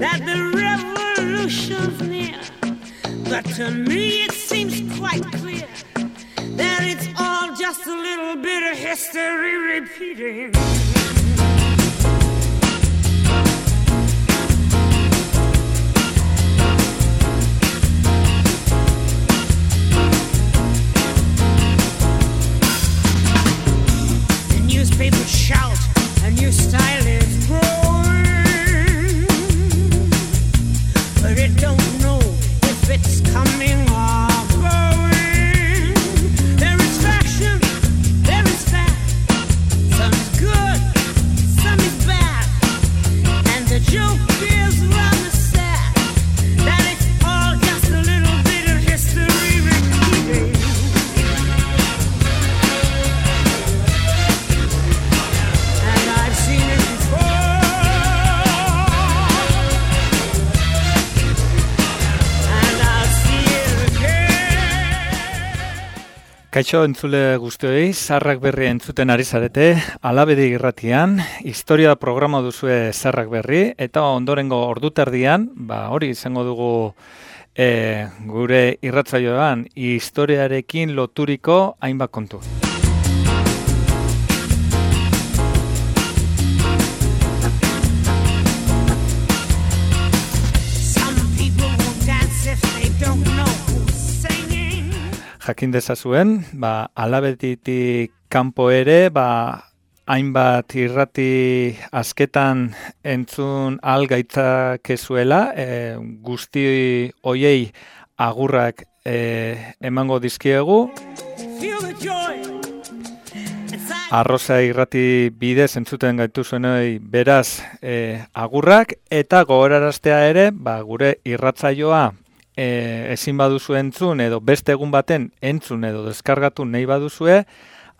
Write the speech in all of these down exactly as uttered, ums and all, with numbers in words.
that the revolution's near. But to me it seems quite clear that it's all just a little bit of history repeating. The newspapers shout, a new style is growing, but it don't know if it's coming or going. There is fashion, there is fact. Some is good, some is bad. And the joke is rather sad that it's all just a little bit of history repeating. And I've seen it before, and I'll see it again. Kaixo entzule guztioi, Zarrak Berri entzuten ari zarete, Alabedi irratian, historia programa duzue Zarrak Berri, eta ondorengo orduterdian, ba hori izango dugu e, gure irratsaioan historiarekin loturiko hainbat kontu. Some people won't dance if they don't know who's singing. Jakin dezazuen, ba, Alabeditik kanpo ere, ba, hainbat irrati asketan entzun ahal gaitzakezuela, e, guzti hoiei agurrak e, emango dizkiegu. Feel the joy inside. Arroza irrati bidez entzuten gaituzuenoi beraz e, agurrak, eta gogoraraztea ere, ba, gure irratsaioa e, ezin baduzu entzun edo beste egun baten entzun edo deskargatu nahi baduzue,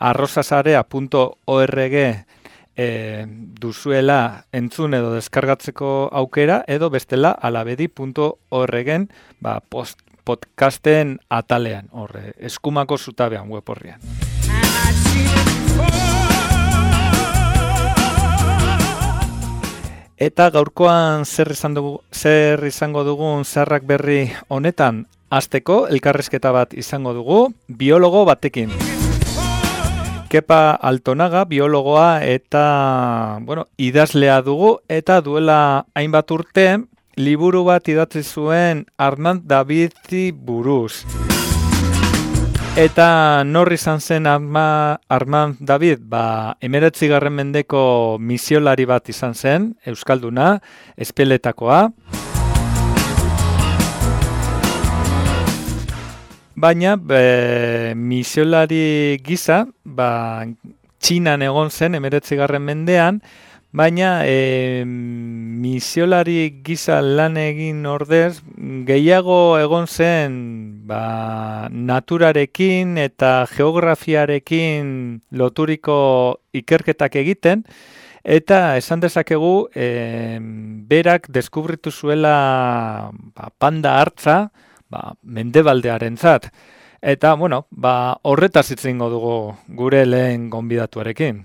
arrozasarea punto org e, duzuela entzun edo deskargatzeko aukera, edo bestela alabedi punto orgen ba, post, podcasten atalean, horre, eskumako zutabean web horrian. And I've seen it before. Eta gaurkoan zer izan dugu, zer izango dugun Zarrak Berri honetan, hasteko elkarrizketa bat izango dugu biologo batekin. Kepa Altonaga biologoa eta bueno, idazlea dugu, eta duela hainbat urte liburu bat idatzi zuen Armand Davidi buruz. Eta nor izan zen Arma, Armand David? Ba, hemeretzigarren mendeko misiolari bat izan zen, euskalduna, espeletakoa. Baina, be, misiolari gisa, ba, Txinan egon zen hemeretzigarren mendean, baina e, misiolari gisa lan egin ordez, gehiago egon zen ba, naturarekin eta geografiarekin loturiko ikerketak egiten, eta esan dezakegu e, berak deskubritu zuela ba, panda hartza, ba, mendebaldearentzat. Eta, bueno, ba, horretaz hitz egingo dugu gure lehen gonbidatuarekin.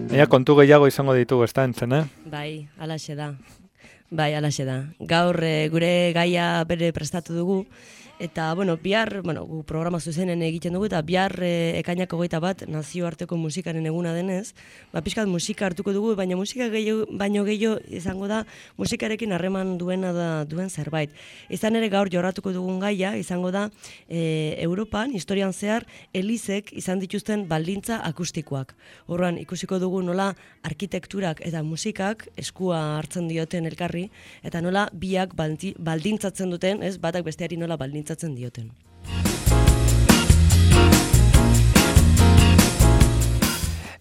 Ea, kontu gehiago izango ditugu, ez da entzen, eh? Bai, alaxe da. Bai, alaxe da. Gaur e, gure gaia bere prestatu dugu, eta, bueno, bihar, bueno, gu programa zuzenen egiten dugu, eta bihar e, ekainak hogeita bat nazioarteko musikaren eguna denez, ba, pixkat musika hartuko dugu, baina musika gehiago, baino gehiago izango da, musikarekin harreman duena da duen zerbait. Izan ere gaur jorratuko dugun gaia, izango da, e, Europan, historian zehar, elizek izan dituzten baldintza akustikoak. Horran, ikusiko dugu nola arkitekturak eta musikak eskua hartzen dioten elkarri, eta nola biak baldi, baldintzatzen duten, ez, batak besteari nola baldintzatzen dioten.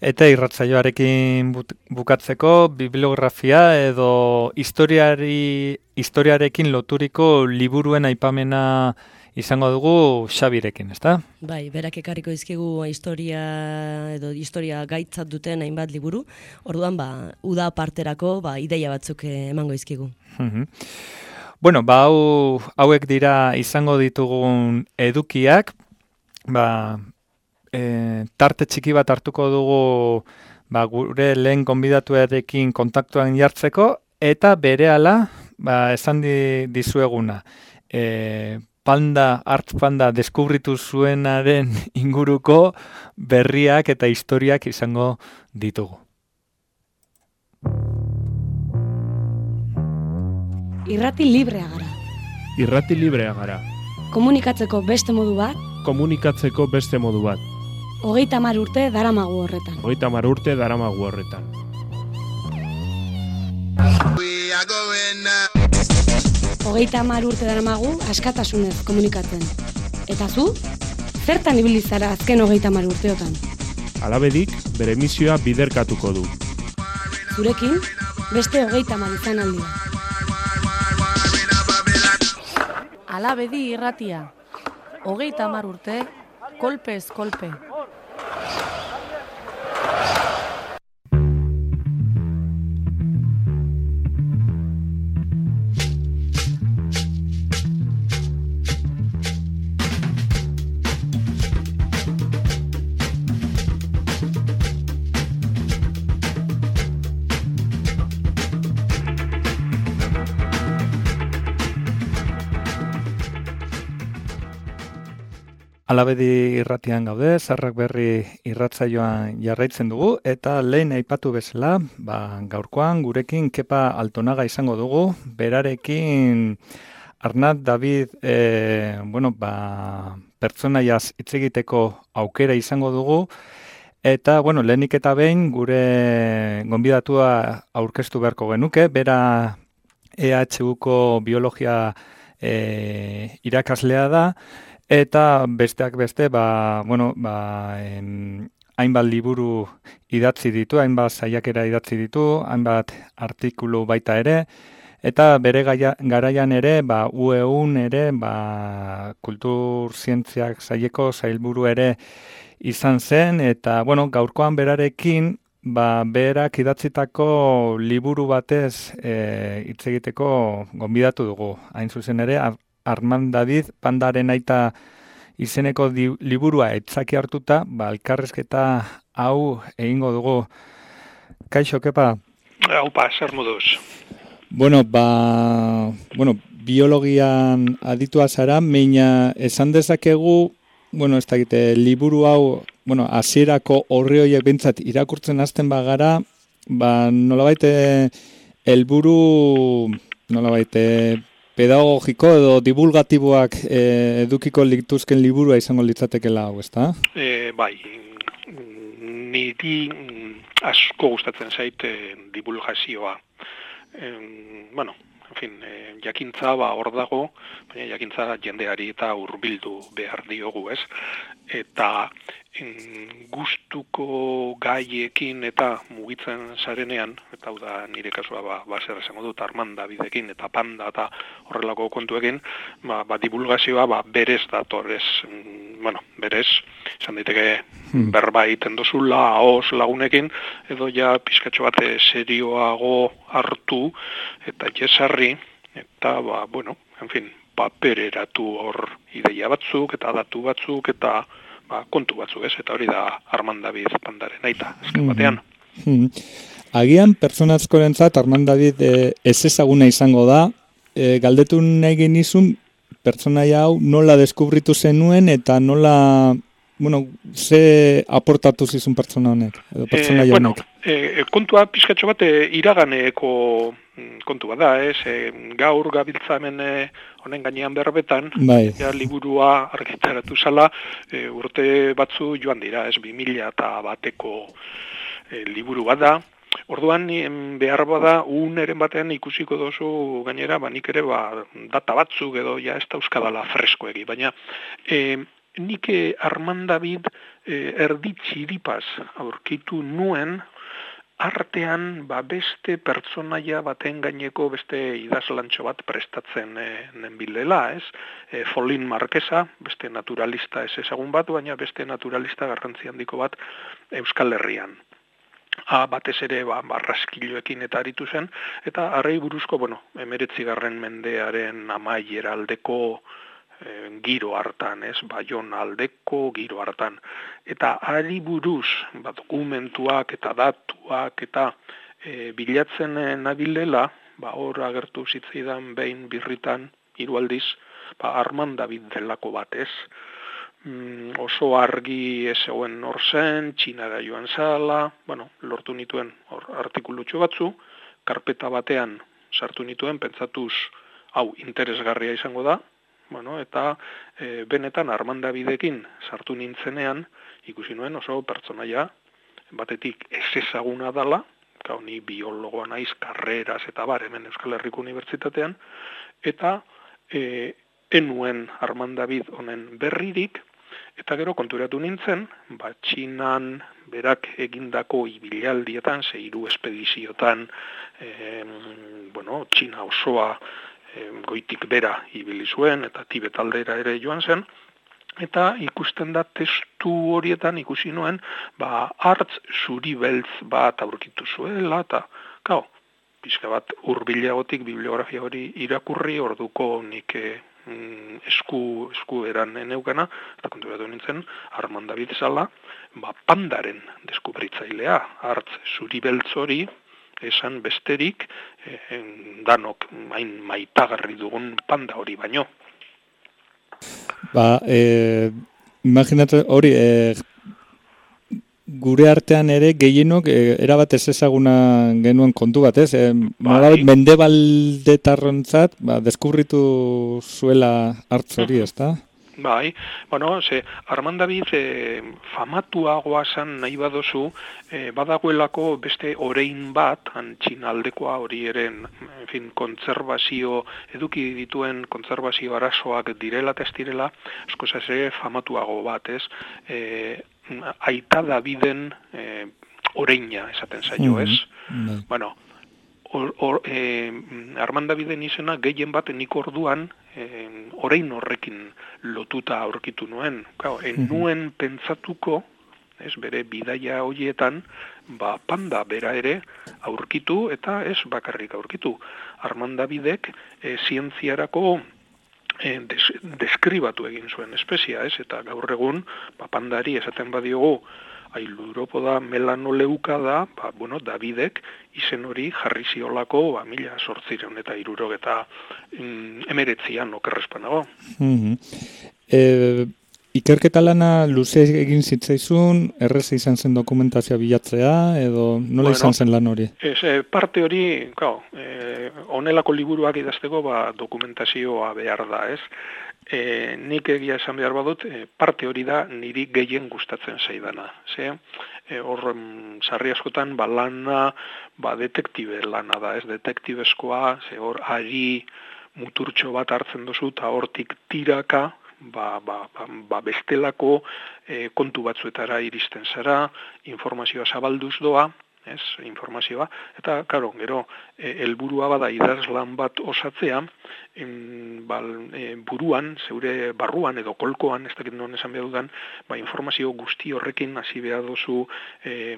Eta irratsaioarekin bukatzeko bibliografia edo historiari, historiarekin loturiko liburuen aipamena izango dugu Xabirekin, ezta? Bai, berak ekarriko dizkigu historia edo historia gaitzat duten hainbat liburu. Orduan, ba, uda parterako ba, ideia batzuk emango dizkigu. Mhm. Bueno, ba, hau, hauek dira izango ditugun edukiak, ba, e, tarte txiki bat hartuko dugu ba, gure lehen gonbidatuarekin kontaktuan jartzeko, eta berehala ba, esan di, dizueguna. E, panda, Art Panda deskubritu zuenaren inguruko berriak eta historiak izango ditugu. Irrati librea gara. Irrati librea gara. Komunikatzeko beste modu bat, Komunikatzeko beste modu bat. hogeita hamar urte daramagu horretan. Hogeita hamar urte daramagu horretan. Hogeita hamar urte daramagu askatasunez komunikatzen. Eta zu, zertan ibili zara azken hogeita hamar urteotan? Alabedik, bere misioa biderkatuko du. Zurekin, beste hogeita hamar izan aldia. Alabedi irratia. Hogeita hamar urte, kolpez kolpe. Alabedi irratian gaude, Zarrak Berri irratsaioan jarraitzen dugu, eta lehen aipatu bezala, ba, gaurkoan gurekin Kepa Altonaga izango dugu, berarekin Arnat David, e, bueno, ba, pertsonaiaz hitz egiteko aukera izango dugu, eta, bueno, lehenik eta behin gure gonbidatua aurkeztu beharko genuke, bera E H Uko biologia e, irakaslea da, eta besteak beste, ba, bueno, ba, em, hainbat liburu idatzi ditu, hainbat saiakera idatzi ditu, hainbat artikulu baita ere, eta bere gaia, garaian ere, ba, U E Un ere, ba, kultur zientziak saileko sailburu ere izan zen, eta, bueno, gaurkoan berarekin, ba, berak idatzitako liburu batez e, hitz egiteko gonbidatu dugu. Hain zuzen ere, Armand David, Pandaren aita izeneko di, liburua etzaki hartuta, ba, elkarrezketa hau egingo dugu. Kaixo, Kepa? Haupa, zer moduz? Bueno, ba, bueno, biologian aditua zara, meina esan dezakegu, bueno, ez dakite, liburu hau, bueno, hasierako horri horiek bintzat irakurtzen hasten bagara, ba, nolabait helburu, nolabait pedagogiko edo divulgatiboak eh, edukiko lituzken liburua izango litzatekela hau, ezta? E, bai, niri asko gustatzen zait e, divulgazioa. E, bueno, en fin, e, jakintza ba hor dago, baina jakintza jendeari eta hurbildu behar diogu, ez? Eta en, gustuko gaiekin eta mugitzen zarenean, eta hau da nire kasua ba, ba zer esango dut Armand Davidekin eta Panda eta horrelako kontuekin, ba, ba divulgazioa ba, berez dator, ez, bueno, berez, esan daiteke hmm. berba egiten dozula, ahoz lagunekin, edo ja pizkatxo bat serioago hartu, eta jesarri, eta, ba, bueno, en fin, papereratu hor ideia batzuk, eta datu batzuk, eta ba, kontu batzuk, ez, eta hori da Armand David Pandaren aita, azken batean. Mm-hmm. Agian, pertsona askorentzat Armand David e, ez ezaguna izango da, e, galdetu nahi genizun, pertsonaia hau nola deskubritu zenuen, eta nola, bueno, ze aportatu zizun pertsona honek, edo pertsonaia eh, bueno, honek? E, kontua pizkatxo bat e, iraganeko kontu bat da, ez, e, gaur gabiltza hemen e, honen gainean berbetan, bai. Ja, liburua argitaratu zala, e, urte batzu joan dira, ez, bi mila eta bateko e, liburu bat da. Orduan behar bada uneren batean ikusiko dozu gainera, ba, nik ere ba, data batzuk edo ja ez da euskadala freskoegi, baina e, nik Armand David e, erdi txiripaz aurkitu nuen, artean ba, beste pertsonaia baten gaineko beste idazlantxo bat prestatzen e, nenbilela, ez? E, Folin Marquesa, beste naturalista ez ezagun bat, baina beste naturalista garrantzi handiko bat Euskal Herrian. A, batez ere ba, barraskiloekin eta aritu zen, eta harrei buruzko, bueno, emeretzigarren mendearen amaiera aldeko e, giro hartan, ez, Baiona aldeko giro hartan. Eta ari buruz, ba, dokumentuak eta datuak eta e, bilatzen nabilela, ba, hor agertu zitzaidan behin birritan, hiru aldiz, ba, Armand David delako batez, mm, oso argi ez zegoen hor zen, Txinara joan zala, bueno, lortu nituen hor artikulutxo batzu, karpeta batean sartu nituen, pentsatuz, hau, interesgarria izango da, bueno, eta e, benetan Armand Davidekin sartu nintzenean, ikusi nuen oso pertsonaia, batetik ez ezaguna dala, gau ni biologoa naiz, karreras eta bar, hemen Euskal Herriko Unibertsitatean, eta e, enuen Armand David honen berririk, eta gero konturatu nintzen, ba, Txinan berak egindako ibilaldietan, ze hiru espediziotan, e, bueno, Txina osoa e, goitik bera ibili zuen, eta Tibet aldera ere joan zen, eta ikusten da testu horietan ikusi nuen, ba, hartz zuri beltz bat aurkitu zuela, eta, gau, pixka bat hurbilagotik bibliografia hori irakurri, orduko nik e, esku, esku eran eneukana, eta konturatu nintzen, Armand David zala, ba, pandaren deskubritzailea, hartz zuri beltz hori, esan besterik, e, danok hain maitagarri dugun panda hori baino. Ba, e, imaginatu hori, e, gure artean ere gehienok e, erabat ez ezaguna genuen kontu bat, ez? E, bai. Mendebaldetarrontzat, ba, deskubritu zuela hartz hori, ez da? Bai, bueno, ze, Armand David e, famatuagoa zan nahi badozu, e, badagoelako beste orein bat, han Txinaldekoa hori eren, en fin, kontserbazio, eduki dituen kontserbazio arazoak direla eta ez direla, askoz ere famatuago bat, ez? E, Aita Daviden e, oreina esaten zaio, ez? Mm-hmm. Bueno, or, or, e, Armand Daviden izena gehien bat nik orduan e, orein horrekin lotuta aurkitu nuen. Claro, en nuen pentsatuko, ez, bere bidaia horietan, ba, panda bera ere aurkitu eta ez bakarrik aurkitu. Armand Davidek e, zientziarako E, des, deskribatu egin zuen espezia, ez? Eta gaur egun, ba, pandari esaten badiogu, ailuropoda melanoleuka da, ba, bueno, Davidek izen hori jarri ziolako, ba, mila sortzireun eta irurog eta mm, emeretzian okerrezpanago. Mm-hmm. E, ikerketa lana luze egin zitzaizun, errez izan zen dokumentazioa bilatzea, edo nola bueno, izan zen lan hori? Ez, e, parte hori, claro, e, onelako liburuak idazteko ba, dokumentazioa behar da, ez? E, nik egia esan behar badut, e, parte hori da niri gehien gustatzen zaidana. Ze, e, hor, sarri askotan, ba, lana, ba, detektibe lana da, ez? Detektibezkoa, ze hor, ari muturtxo bat hartzen duzu, eta hortik tiraka, Ba, ba, ba, ba bestelako e, kontu batzuetara iristen zara, informazioa zabalduz doa, ez, informazioa, eta, karo, gero, e, helburua bada idazlan bat osatzea, en, ba, e, buruan, zeure barruan edo kolkoan, ez dakit non esan behar dudan, ba, informazio guzti horrekin hasi behar duzu e,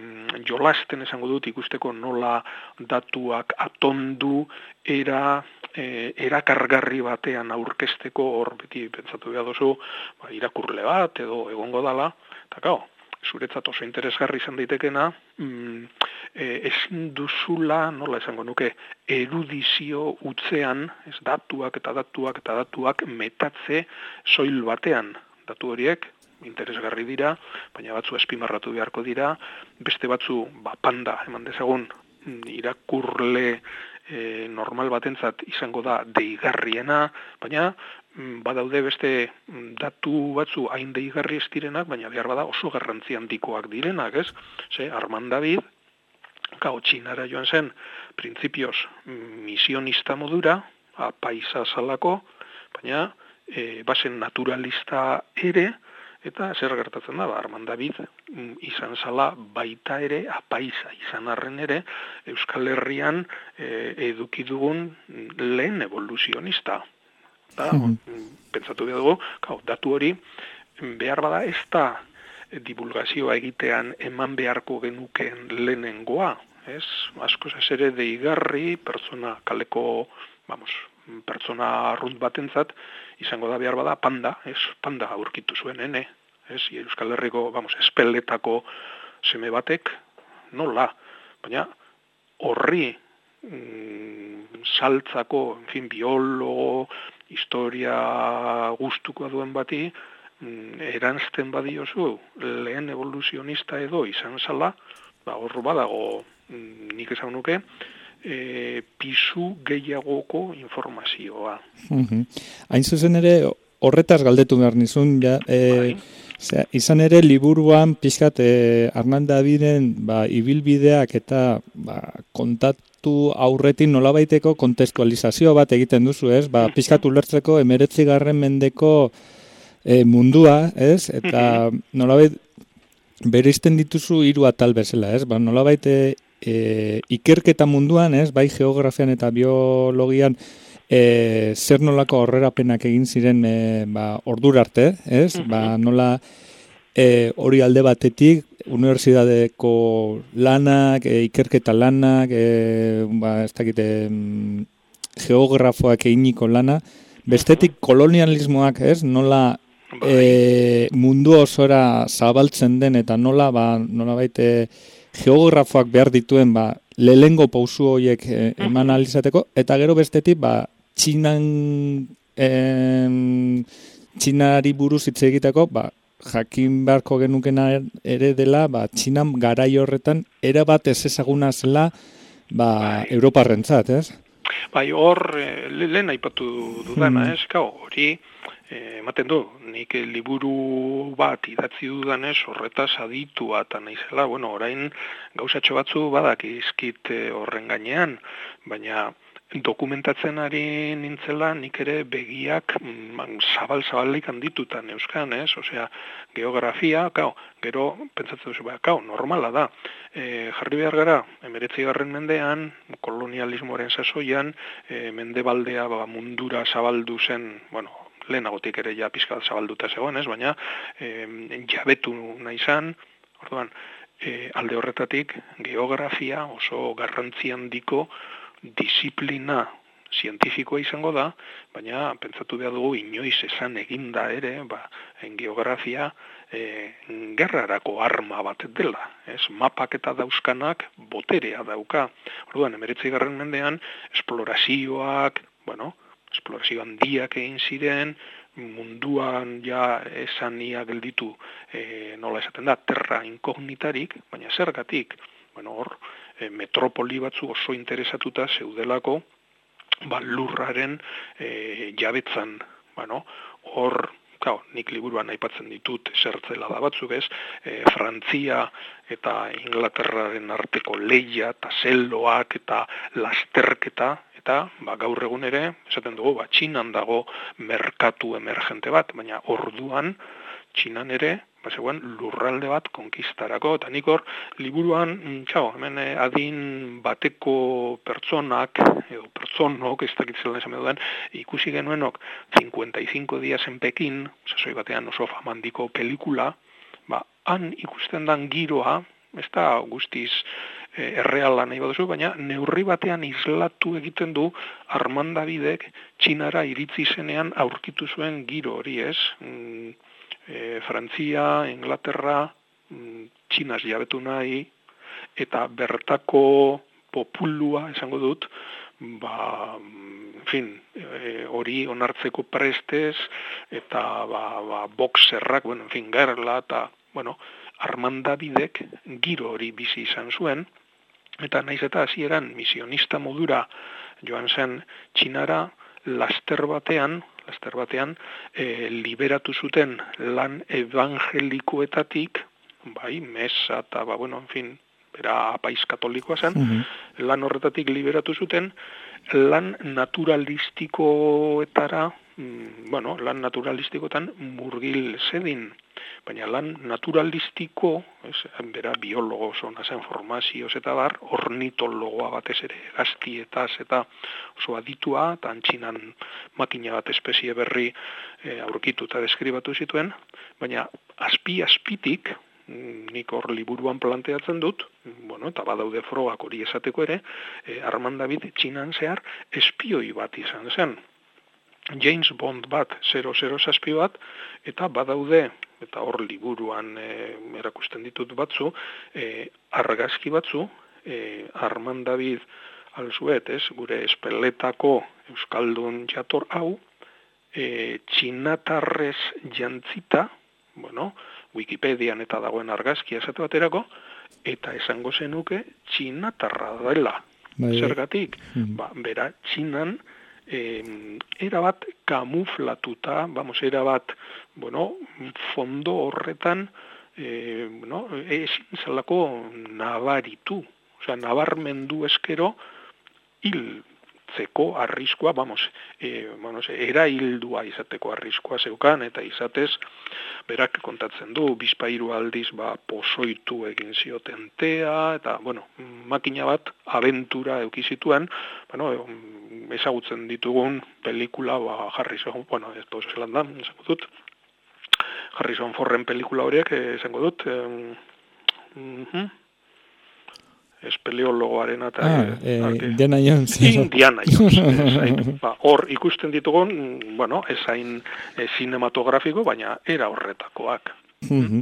jolasten esango dut ikusteko nola datuak atondu, era... E, erakargarri batean aurkezteko hor beti pentsatu behar duzu ba, irakurle bat edo egongo dala, eta gau, zuretzat oso interesgarri izan daitekena, mm, e, ezin duzula, nola esango nuke, erudizio utzean, ez datuak eta datuak eta datuak metatze soil batean, datu horiek, interesgarri dira, baina batzu espimarratu beharko dira, beste batzu, ba, panda, eman dezagun, irakurle E, normal batentzat izango da deigarriena, baina badaude beste datu batzu hain deigarri ez direnak, baina behar bada oso garrantzi handikoak direnak, ez? Ze, Armand David, gau Txinara joan zen, printzipioz misionista modura, apaisa zalako, baina e, bazen naturalista ere, eta zer gertatzen da, ba, Armand David izan zala baita ere, apaisa izan arren ere, Euskal Herrian e, eduki dugun lehen evoluzionista. Da, mm-hmm. Pentsatu behar dugu, kau, datu hori, behar bada ez da divulgazioa egitean eman beharko genuken lehenengoa, ez? Askoz ez ere deigarri, pertsona kaleko, vamos, pertsona arrunt batentzat, izango da behar bada panda, ez, panda aurkitu zuen, ene, ez, Euskal Herriko, vamos, espeletako seme batek, nola, baina horri mm, saltzako, en fin, biologo, historia gustuko duen bati, mm, eranzten badiozu, lehen evoluzionista edo izan zala, ba, hor badago, mm, nik esan nuke, e, pisu gehiagoko informazioa. Mhm. Hain zuzen ere, horretaz galdetu behar nizun, ja, e, zera, izan ere liburuan pixkat e, Arnal Daviden ba, ibilbideak eta ba, kontatu aurretin nolabaiteko kontestualizazio bat egiten duzu, ez? Ba, pixkat ulertzeko emeretzigarren mendeko e, mundua, ez? Eta nolabait bereizten dituzu hiru atal bezala, ez? Ba, nolabait e, e, ikerketa munduan, ez? Bai geografian eta biologian E, zer nolako aurrerapenak egin ziren e, ba, ordura arte, ez? Uh-huh. Ba, nola e, hori alde batetik, unibertsitateko lanak, e, ikerketa lanak, e, ba, ez dakite, mm, geografoak eginiko lana, bestetik kolonialismoak, ez? Nola e, mundu osora zabaltzen den eta nola, ba, nola baite, geografoak behar dituen, ba, lehengo pausu horiek e, eman alizateko, eta gero bestetik, ba, Txinan, em, Txinari buruz hitz egiteko, ba, jakin beharko genukena ere dela, ba, Txinan garai horretan erabat ez ezaguna zela ba, bai. Europarrentzat, ez? Bai, hor, lehen aipatu dudana, ez? Kau, hori, ematen du, nik liburu bat idatzi dudanez, horretaz aditua eta naizela, bueno, orain gauzatxo batzu badak izkit horren gainean, baina dokumentatzen ari nintzela nik ere begiak zabal-zabalik handitutan euskan, ez? Osea, geografia, kau, gero, pentsatzen duzu, ba, kau, normala da. E, jarri behar gara, emeretzigarren mendean, kolonialismoaren sasoian, e, mendebaldea ba, mundura zabaldu zen, bueno, lehenagotik ere ja pizkat zabalduta zegoen, ez? Baina, e, jabetu nahi zan, orduan, e, alde horretatik, geografia oso garrantzi handiko disiplina zientifikoa izango da, baina pentsatu behar dugu inoiz esan eginda ere, ba, en geografia e, gerrarako arma bat dela. Ez, mapak eta dauzkanak boterea dauka. Orduan, emeretzigarren mendean, esplorazioak, bueno, esplorazio handiak egin ziren, munduan ja esania gelditu, e, nola esaten da, terra inkognitarik, baina zergatik, bueno, hor, metropoli batzu oso interesatuta zeudelako ba, lurraren e, jabetzan. Bueno, hor, claro, nik liburuan aipatzen ditut zertzela da batzuk, ez? E, Frantzia eta Inglaterraren arteko leia eta zelloak eta lasterketa, eta ba, gaur egun ere, esaten dugu, ba, Txinan dago merkatu emergente bat, baina orduan Txinan ere, ba, zegoen lurralde bat konkistarako, eta nik hor, liburuan, txau, hemen eh, adin bateko pertsonak, edo pertsonok, ez dakitzela esan duen, ikusi genuenok, cincuenta y cinco días en Pekin, sasoi batean oso famandiko pelikula, ba, han ikusten dan giroa, ez da guztiz eh, erreala nahi baduzu, baina neurri batean islatu egiten du Arnal Davidek Txinara iritzi zenean aurkitu zuen giro hori, ez? Mm, E, Frantzia, Inglaterra, Txinaz jabetu nahi, eta bertako populua, esango dut, ba, en fin, e, hori onartzeko prestez, eta ba, ba, boxerrak, bueno, en fin, gerla, eta, bueno, Arnal Davidek giro hori bizi izan zuen, eta naiz eta hasieran misionista modura joan zen Txinara, laster batean, laster batean, e, liberatu zuten lan evangelikoetatik, bai, mesa eta, ba, bueno, en fin, bera apaiz katolikoa zen, uh-huh. Lan horretatik liberatu zuten, lan naturalistikoetara, mm, bueno, lan naturalistikoetan murgil zedin, baina lan naturalistiko, ez, bera biologo zona zen formazioz eta bar, ornitologoa batez ere, gaztietaz eta oso aditua, eta antxinan makina bat espezie berri e, aurkitu eta deskribatu zituen, baina azpi-azpitik, nik hor liburuan planteatzen dut, bueno, eta badaude frogak hori esateko ere, e, Armand David Txinan zehar espioi bat izan zen. James Bond bat, zero zero zazpi bat, eta badaude, eta hor liburuan e, erakusten ditut batzu, e, argazki batzu, e, Armand David alzuet, ez, gure espeletako euskaldun jator hau, e, txinatarrez jantzita, bueno, Wikipedian eta dagoen argazkia esate baterako, eta esango zenuke txinatarra dela. Bai. Zergatik, Mm. ba, bera, txinan, eh, erabat kamuflatuta, vamos, erabat, bueno, fondo horretan, eh, bueno, ezin zelako nabaritu, osea, nabarmendu eskero, hiltzeko arriskoa, vamos, eh, vamos, era hildua izateko arriskoa zeukan, eta izatez, berak kontatzen du, bizpairu aldiz, ba, pozoitu egin zioten tea, eta, bueno, makina bat, abentura eukizituen, bueno, ezagutzen ditugun pelikula, ba, Harrison, bueno, ez da zelan da, esango dut, Harrison Forden pelikula horiek, esango dut, eh, uh-huh. espeleologoaren eta... Ah, eh, Indiana Jones. Indiana Jones. Ba, hor ikusten ditugun, bueno, ezain e, cinematografiko, baina era horretakoak. Mhm.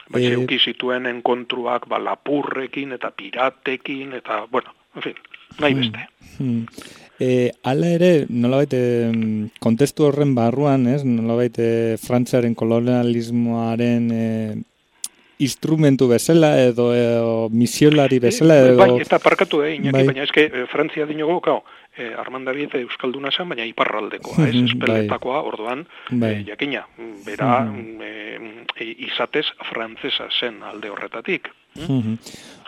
Baina Eh, euki zituen enkontruak, ba, lapurrekin eta piratekin, eta, bueno, en fin, nahi beste. Hmm. E, ala ere, nolabait, e, kontestu horren barruan, ez, nolabait, e, Frantziaren kolonialismoaren e, instrumentu bezala, edo, edo misiolari bezala, edo... Bai, eta parkatu, eh, Iñaki, bai. baina eske, eh, Frantzia dinogo, kao, eh, Armand David euskalduna zen, baina iparraldekoa, ez, Mhm, espeletakoa, orduan, Bai. eh, jakina, bera, Mhm. eh, eh, izatez frantzesa zen alde horretatik. Mhm.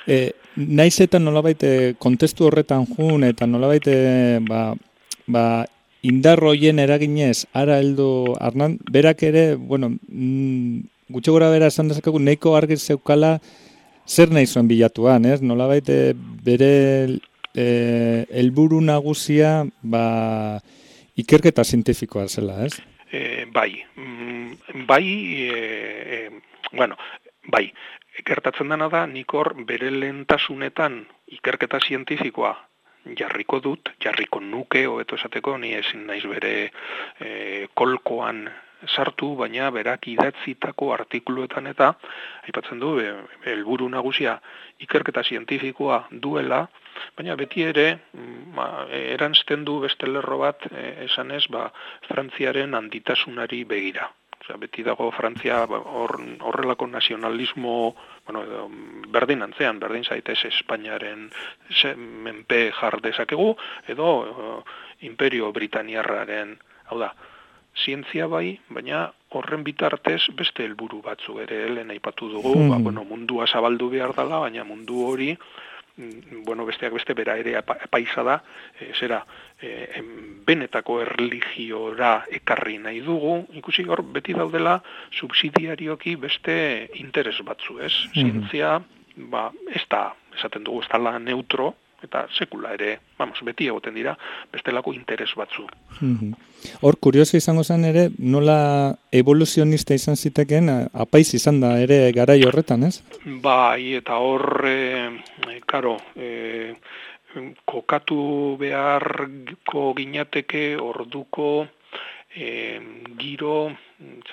E, naiz eta nolabait e, kontestu horretan jun, eta nolabait e, ba, ba, indar hoien eraginez, ara heldu Arnan, berak ere, bueno, mm, gutxi gora bera esan dezakegu, nahiko argi zeukala zer nahi zuen bilatuan, ez? Nolabait e, bere e, helburu nagusia, ba, ikerketa zientifikoa zela, ez? E, bai, mm, bai, e, e, bueno, bai, gertatzen dena da, nik hor bere lehentasunetan ikerketa zientifikoa jarriko dut, jarriko nuke, hobeto esateko, ni ezin naiz bere e, kolkoan sartu, baina berak idatzitako artikuluetan eta, aipatzen du, e, helburu nagusia ikerketa zientifikoa duela, baina beti ere, ma, eranzten du beste lerro bat, e, esanez, ba, Frantziaren handitasunari begira. Osea, beti dago Frantzia hor, horrelako nazionalismo, bueno, edo, berdin antzean, berdin zaitez Espainiaren se, menpe jar dezakegu, edo uh, Imperio Britaniarraren, hau da, zientzia bai, baina horren bitartez beste helburu batzu ere lehen aipatu dugu, Hmm. ba, bueno, mundua zabaldu behar dela, baina mundu hori, bueno, besteak beste bera ere paisa da, e, zera, e, em, benetako erligiora ekarri nahi dugu, ikusi hor beti daudela subsidiarioki beste interes batzu, ez? Zientzia, ba, ez da, esaten dugu, ez da neutro, eta sekula ere, vamos, beti egoten dira, bestelako interes batzu. Mhm. Hor, kurioso izango zen ere, nola evoluzionista izan zitekeen, apaiz izan da ere garai horretan, ez? Bai, eta hor, e, e, karo, e, kokatu beharko ginateke orduko e, giro,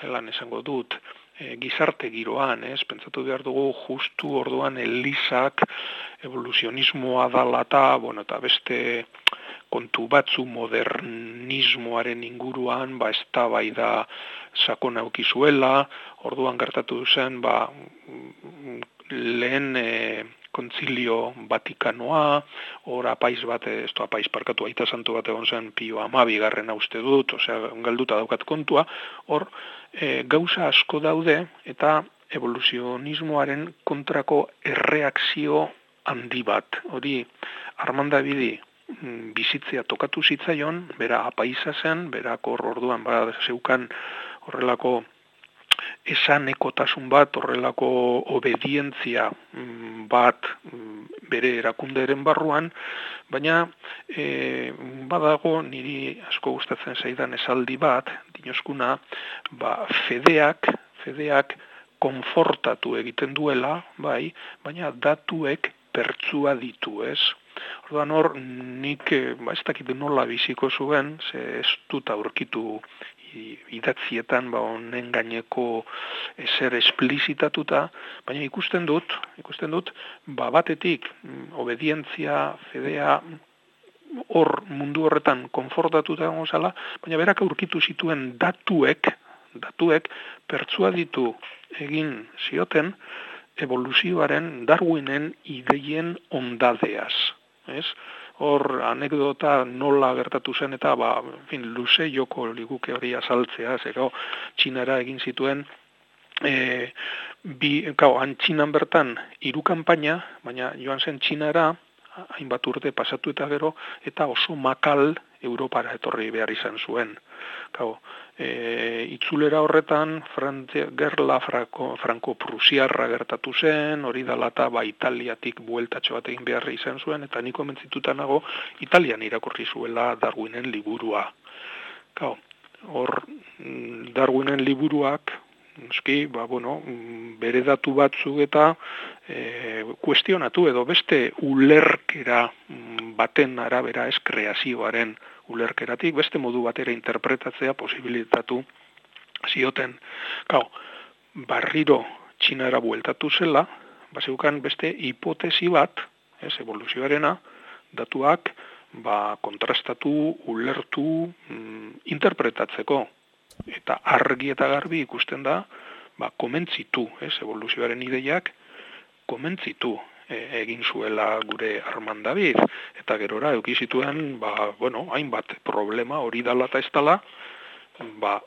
zelan esango dut, e, gizarte giroan, ez? Pentsatu behar dugu justu orduan Elizak evoluzionismoa dala eta, bueno, eta beste kontu batzu modernismoaren inguruan, ba, eztabaida sakon aukizuela, orduan gertatu zen, ba, lehen e, kontzilio Vatikanoa, hor apaiz bat, ez du apaiz parkatu, aita santu bat egon zen Pio hamabigarrena uste dut, osea, galduta daukat kontua, hor e, gauza asko daude, eta evoluzionismoaren kontrako erreakzio handi bat. Hori, Armand Davidi bizitzea tokatu zitzaion, bera apaiza zen, berak hor orduan bada zeukan horrelako esanekotasun bat, horrelako obedientzia bat bere erakunderen barruan, baina e, badago niri asko gustatzen zaidan esaldi bat, dinoskuna, ba, fedeak, fedeak konfortatu egiten duela, bai, baina datuek pertsua ditu, ez? Orduan hor, nik, ba, ez dakit nola biziko zuen, ze ez dut aurkitu idatzietan ba honen gaineko ezer esplizitatuta, baina ikusten dut, ikusten dut, ba batetik obedientzia, fedea, hor mundu horretan konfortatuta egongo zala, baina berak aurkitu zituen datuek, datuek pertsua ditu egin zioten evoluzioaren Darwinen ideien ondadeaz, ez? Hor anekdota nola gertatu zen eta ba, en fin, luze joko liguke hori azaltzea, zego Txinara egin zituen e, bi, gau, han Txinan bertan hiru kanpaina, baina joan zen Txinara hainbat urte pasatu eta gero eta oso makal Europara etorri behar izan zuen. Gau, e, itzulera horretan Frantzia, gerla franko-prusiarra gertatu zen, hori dalata ba Italiatik bueltatxo bat egin behar izan zuen, eta niko mentzituta nago Italian irakurri zuela Darwinen liburua. Gau, hor Darwinen liburuak, eski, ba, bueno, bere datu batzuk eta e, kuestionatu edo beste ulerkera baten arabera ez kreazioaren ulerkeratik, beste modu batera interpretatzea posibilitatu zioten. Gau, barriro Txinara bueltatu zela, baseukan beste hipotesi bat, ez, evoluzioarena, datuak ba, kontrastatu, ulertu, mm, interpretatzeko. Eta argi eta garbi ikusten da, ba, komentzitu, ez, evoluzioaren ideiak, komentzitu e, egin zuela gure Armand David, eta gerora eduki zituen, ba, bueno, hainbat problema hori dala eta ez dala, ba,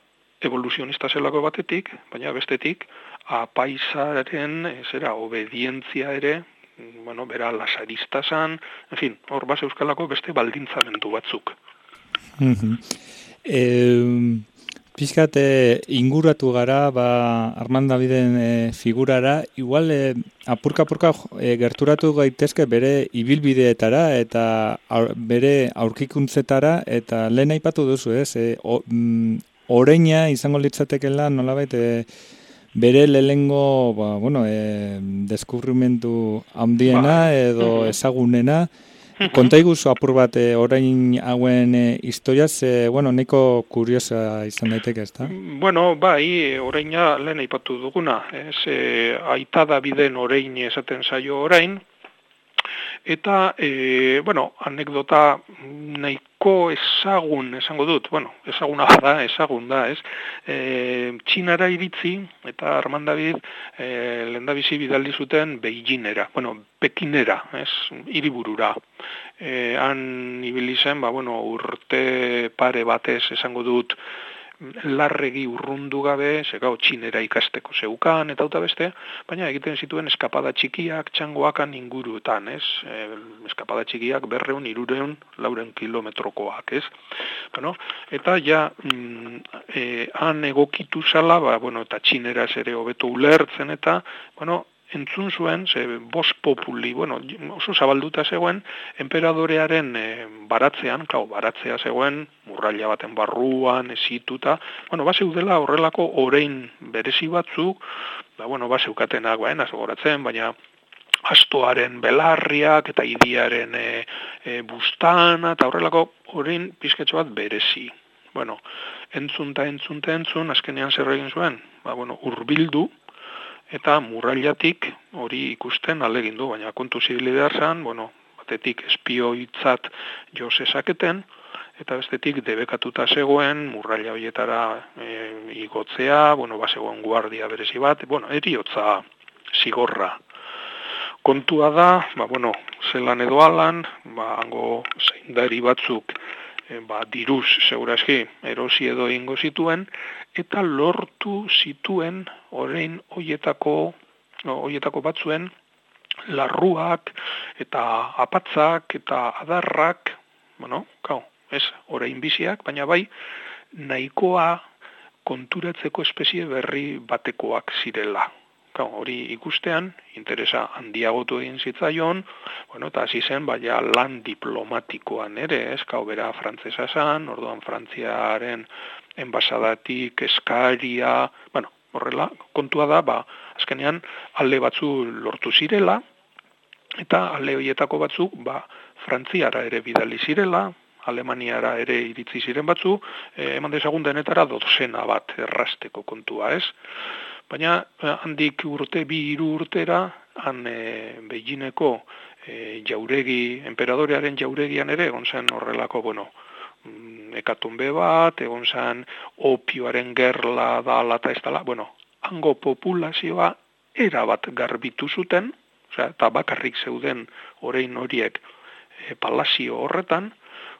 evoluzionista zelako batetik, baina bestetik, apaizaren, zera, obedientzia ere, bueno, bera lasarista zan, en fin, hor base euskalako beste baldintzamendu batzuk. Mm-hmm. eh... Pizkat e, inguratu gara ba, Armand Daviden e, figurara, igual e, apurka-apurka e, gerturatu gaitezke bere ibilbideetara eta aur, bere aurkikuntzetara, eta lehen aipatu duzu, ez? E, o, mm, oreina izango litzatekela nolabait e, bere lehengo ba, bueno, e, deskubrimentu handiena edo ezagunena. Konta iguzu apur bat e, orain hauen e, historiaz, e, bueno, neko kuriosa izan daiteke, ez da? Bueno, bai, oraina lehen aipatu duguna, ez, e, aita Daviden orain esaten zaio orain, eta, e, bueno, anekdota nahiko ezagun, esango dut, bueno, ezaguna bada, ezagun da, ez, e, Txinara iritzi, eta Armand David e, lehendabizi bidaldi zuten Beijingera, bueno, Pekinera, ez, hiriburura. E, han ibili zen, ba, bueno, urte pare batez esango dut, larregi urrundu gabe, zegau Txinera ikasteko zeukan eta uta beste, baina egiten zituen eskapada txikiak txangoakan inguruetan, ez? E, eskapada txikiak berreun, irureun, lauren kilometrokoak, ez? Bueno, eta ja, mm, e, han egokitu zala, ba, bueno, eta Txineraz ere hobeto ulertzen eta, bueno, entzun zuen, ze bos populi, bueno, oso zabalduta zegoen, enperadorearen e, baratzean, klau, baratzea zegoen, murraila baten barruan, esituta, bueno, bazeudela horrelako orein berezi batzuk, ba, bueno, bazeukatenak, baina, zogoratzen, baina astoaren belarriak eta idiaren e, e, bustana, eta horrelako orein pizketxo bat berezi. Bueno, entzun eta entzun eta entzun, azkenean zer egin zuen, ba, bueno, urbildu, eta murrailatik hori ikusten alegin du, baina kontu zibili behar zan, bueno, batetik espioitzat jo zezaketen, eta bestetik debekatuta zegoen, murraila horietara e, igotzea, bueno, bazegoen guardia berezi bat, bueno, eriotza zigorra. Kontua da, ba, bueno, zelan edo alan, ba, hango zeindari batzuk, e, ba, diruz, segurazki, erosi edo ingo zituen, eta lortu zituen orain hoietako hoietako batzuen larruak eta apatzak eta adarrak, bueno, kau, ez, orain biziak, baina bai nahikoa konturatzeko espezie berri batekoak zirela. Kau, hori ikustean, interesa handiagotu egin zitzaion, bueno, eta hasi zen, baina lan diplomatikoan ere, ez, kau, bera frantzesa zan, orduan Frantziaren enbasadatik, eskaria, bueno, horrela, kontua da, ba, azkenean alde batzu lortu zirela, eta alde horietako batzuk, ba, Frantziara ere bidali zirela, Alemaniara ere iritzi ziren batzu, eh, eman dezagun denetara dozena bat errasteko kontua, ez? Baina handik urte, bi hiru urtera, han e, Beijineko e, jauregi, enperadorearen jauregian ere, egon zen horrelako, bueno, hekatombe bat, egon zen opioaren gerla dala eta ez dala, bueno, hango populazioa erabat garbitu zuten, osea, eta bakarrik zeuden orain horiek e, palazio horretan,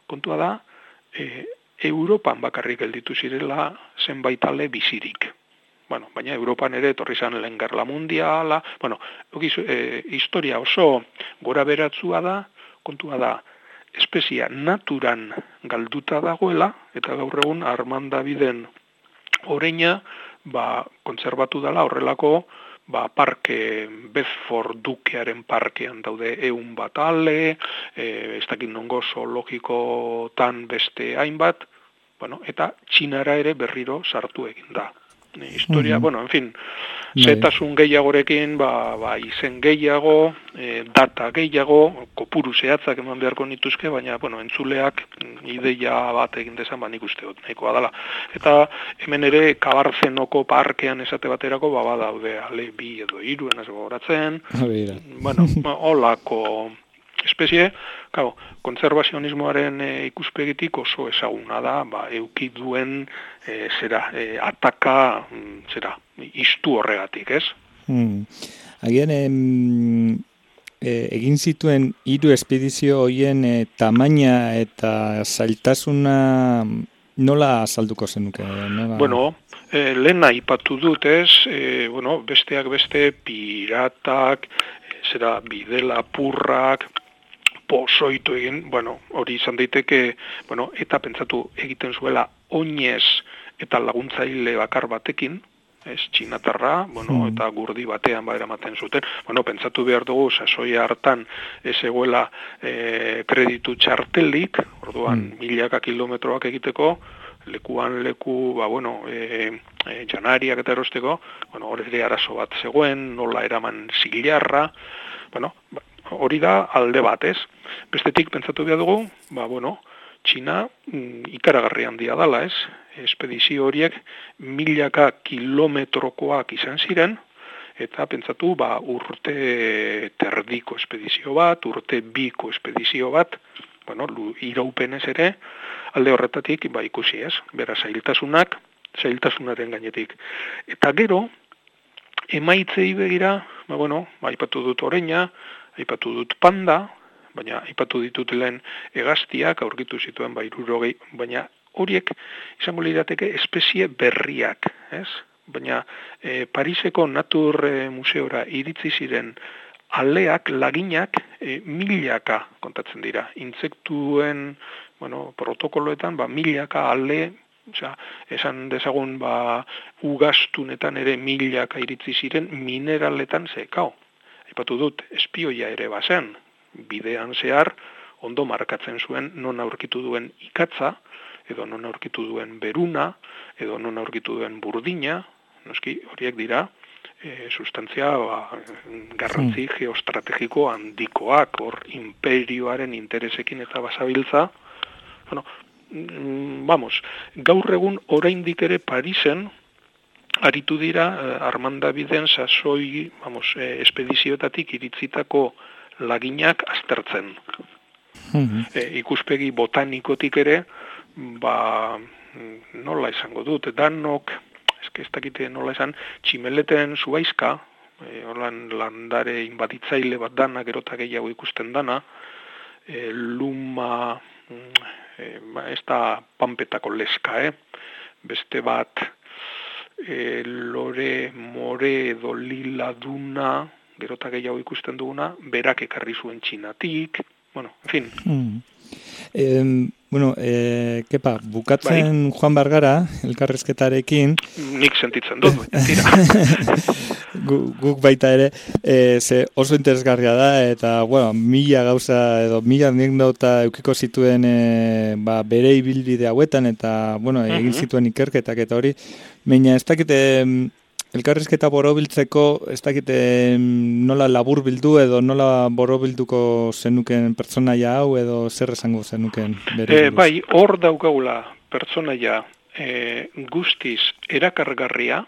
kontua da, e, Europan bakarrik gelditu zirela zenbait ale bizirik. Bueno, baina Europan ere etorri zen lehen gerla mundiala, bueno, ogiz, e, historia oso gora beratzua da, kontua da, espezia naturan galduta dagoela, eta gaur egun Armandabiden oreina, ba, kontserbatu dela horrelako, ba, parke, Bedford Dukearen parkean daude ehun bat ale, e, ez dakit nongo zoologikotan beste hainbat, bueno, eta Txinara ere berriro sartu egin da. Historia, mm-hmm. bueno, en fin, zetasun gehiagorekin, ba, ba, izen gehiago, e, data gehiago, kopuru zehatzak eman beharko nituzke, baina, bueno, entzuleak ideia bat egin dezan, ba, nik uste dut, nahikoa dela. Eta hemen ere, Kabarzenoko parkean esate baterako, ba, badaude, ale, bi edo hiru, enaz gogoratzen, bueno, holako espezie, claro, konservazionismoaren e, ikuspegitik oso ezaguna da, ba, euki duen e, zera, e, ataka, zera, istu horregatik, ez? Hmm. Agian, em, e, egin zituen hiru espedizio hoien e, tamaina eta zailtasuna nola azalduko zenuke? Nola... Bueno, e, lehen aipatu dut, ez? E, bueno, besteak beste piratak, e, zera, bidelapurrak, pozoitu egin, bueno, hori izan daiteke, bueno, eta pentsatu egiten zuela oinez eta laguntzaile bakar batekin, ez, txinatarra, bueno, mm. eta gurdi batean ba eramaten zuten. Bueno, pentsatu behar dugu, sasoia hartan ez egoela e, kreditu txartelik, orduan mm. milaka kilometroak egiteko, lekuan leku, ba, bueno, e, e, janariak eta erosteko, bueno, hori ere arazo bat zegoen, nola eraman zilarra, bueno, ba, hori da alde bat, ez? Bestetik pentsatu behar dugu, ba, bueno, Txina mm, ikaragarri handia dala, ez? Espedizio horiek milaka kilometrokoak izan ziren, eta pentsatu, ba, urte terdiko espedizio bat, urte biko espedizio bat, bueno, iraupenez ere, alde horretatik, ba, ikusi, ez? Bera, zailtasunak, zailtasunaren gainetik. Eta gero, emaitzei begira, ba, bueno, ba, aipatu dut oreina, aipatu dut panda, baina aipatu ditut lehen hegaztiak, aurkitu zituen ba hirurogei, baina horiek izango lirateke espezie berriak, ez? Baina e, Pariseko Natur e, Museora iritzi ziren aleak, laginak, e, milaka kontatzen dira. Intsektuen, bueno, protokoloetan, ba, milaka ale, osea, esan dezagun, ba, ugaztunetan ere milaka iritzi ziren, mineraletan zekao. Aipatu dut, espioia ere bazen, bidean zehar, ondo markatzen zuen non aurkitu duen ikatza, edo non aurkitu duen beruna, edo non aurkitu duen burdina, noski horiek dira, e, sustantzia ba, garrantzi hmm. geostrategiko handikoak, hor imperioaren interesekin eta basabiltza. Bueno, mm, vamos, gaur egun oraindik ere Parisen, aritu dira Armandabiden sasoi, vamos, eh, espedizioetatik iritzitako laginak aztertzen. Mm-hmm. E, ikuspegi botanikotik ere, ba, nola esango dut, danok, eske ez dakite nola esan, tximeleten zuaizka, e, holan landare inbaditzaile bat dana, gerota gehiago ikusten dana, e, luma, e, ez da panpetako leska, eh? Beste bat, E, lore, more edo lila duna, gerota gehiago ikusten duguna, berak ekarri zuen Txinatik, bueno, en fin. Mm. Eh, bueno, eh, kepa, bukatzen bai. Joan Bargara, elkarrezketarekin. Nik sentitzen dut, tira. Guk baita ere, e, ze oso interesgarria da, eta, bueno, mila gauza, edo mila anekdota eukiko zituen e, ba, bere ibilbide hauetan, eta, bueno, egin zituen ikerketak eta hori, baina ez dakite elkarrizketa borobiltzeko, ez dakit nola labur bildu edo nola borobilduko zenuken pertsonaia hau edo zer esango zenuken bere e, bai, hor daukagula pertsonaia e, guztiz erakargarria,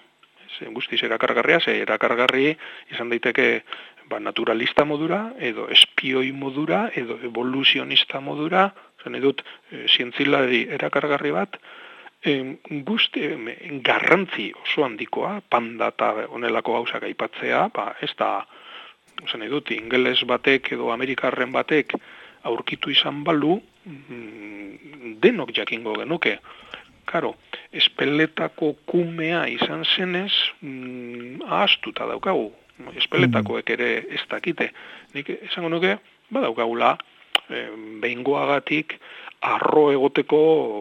ze, guztiz erakargarria, ze erakargarri izan daiteke ba, naturalista modura, edo espioi modura, edo evoluzionista modura, zen edut e, zientzilari erakargarri bat, e, guzti, e, garrantzi oso handikoa, panda eta onelako gauzak aipatzea, ba, ez da, zen edut, ingeles batek edo amerikarren batek aurkitu izan balu, denok jakingo genuke. Karo, espeletako kumea izan zenez, mm, ahaztuta daukagu. Espeletakoek ere ez dakite. Nik esango nuke, badaukagula, eh, behingoagatik arro egoteko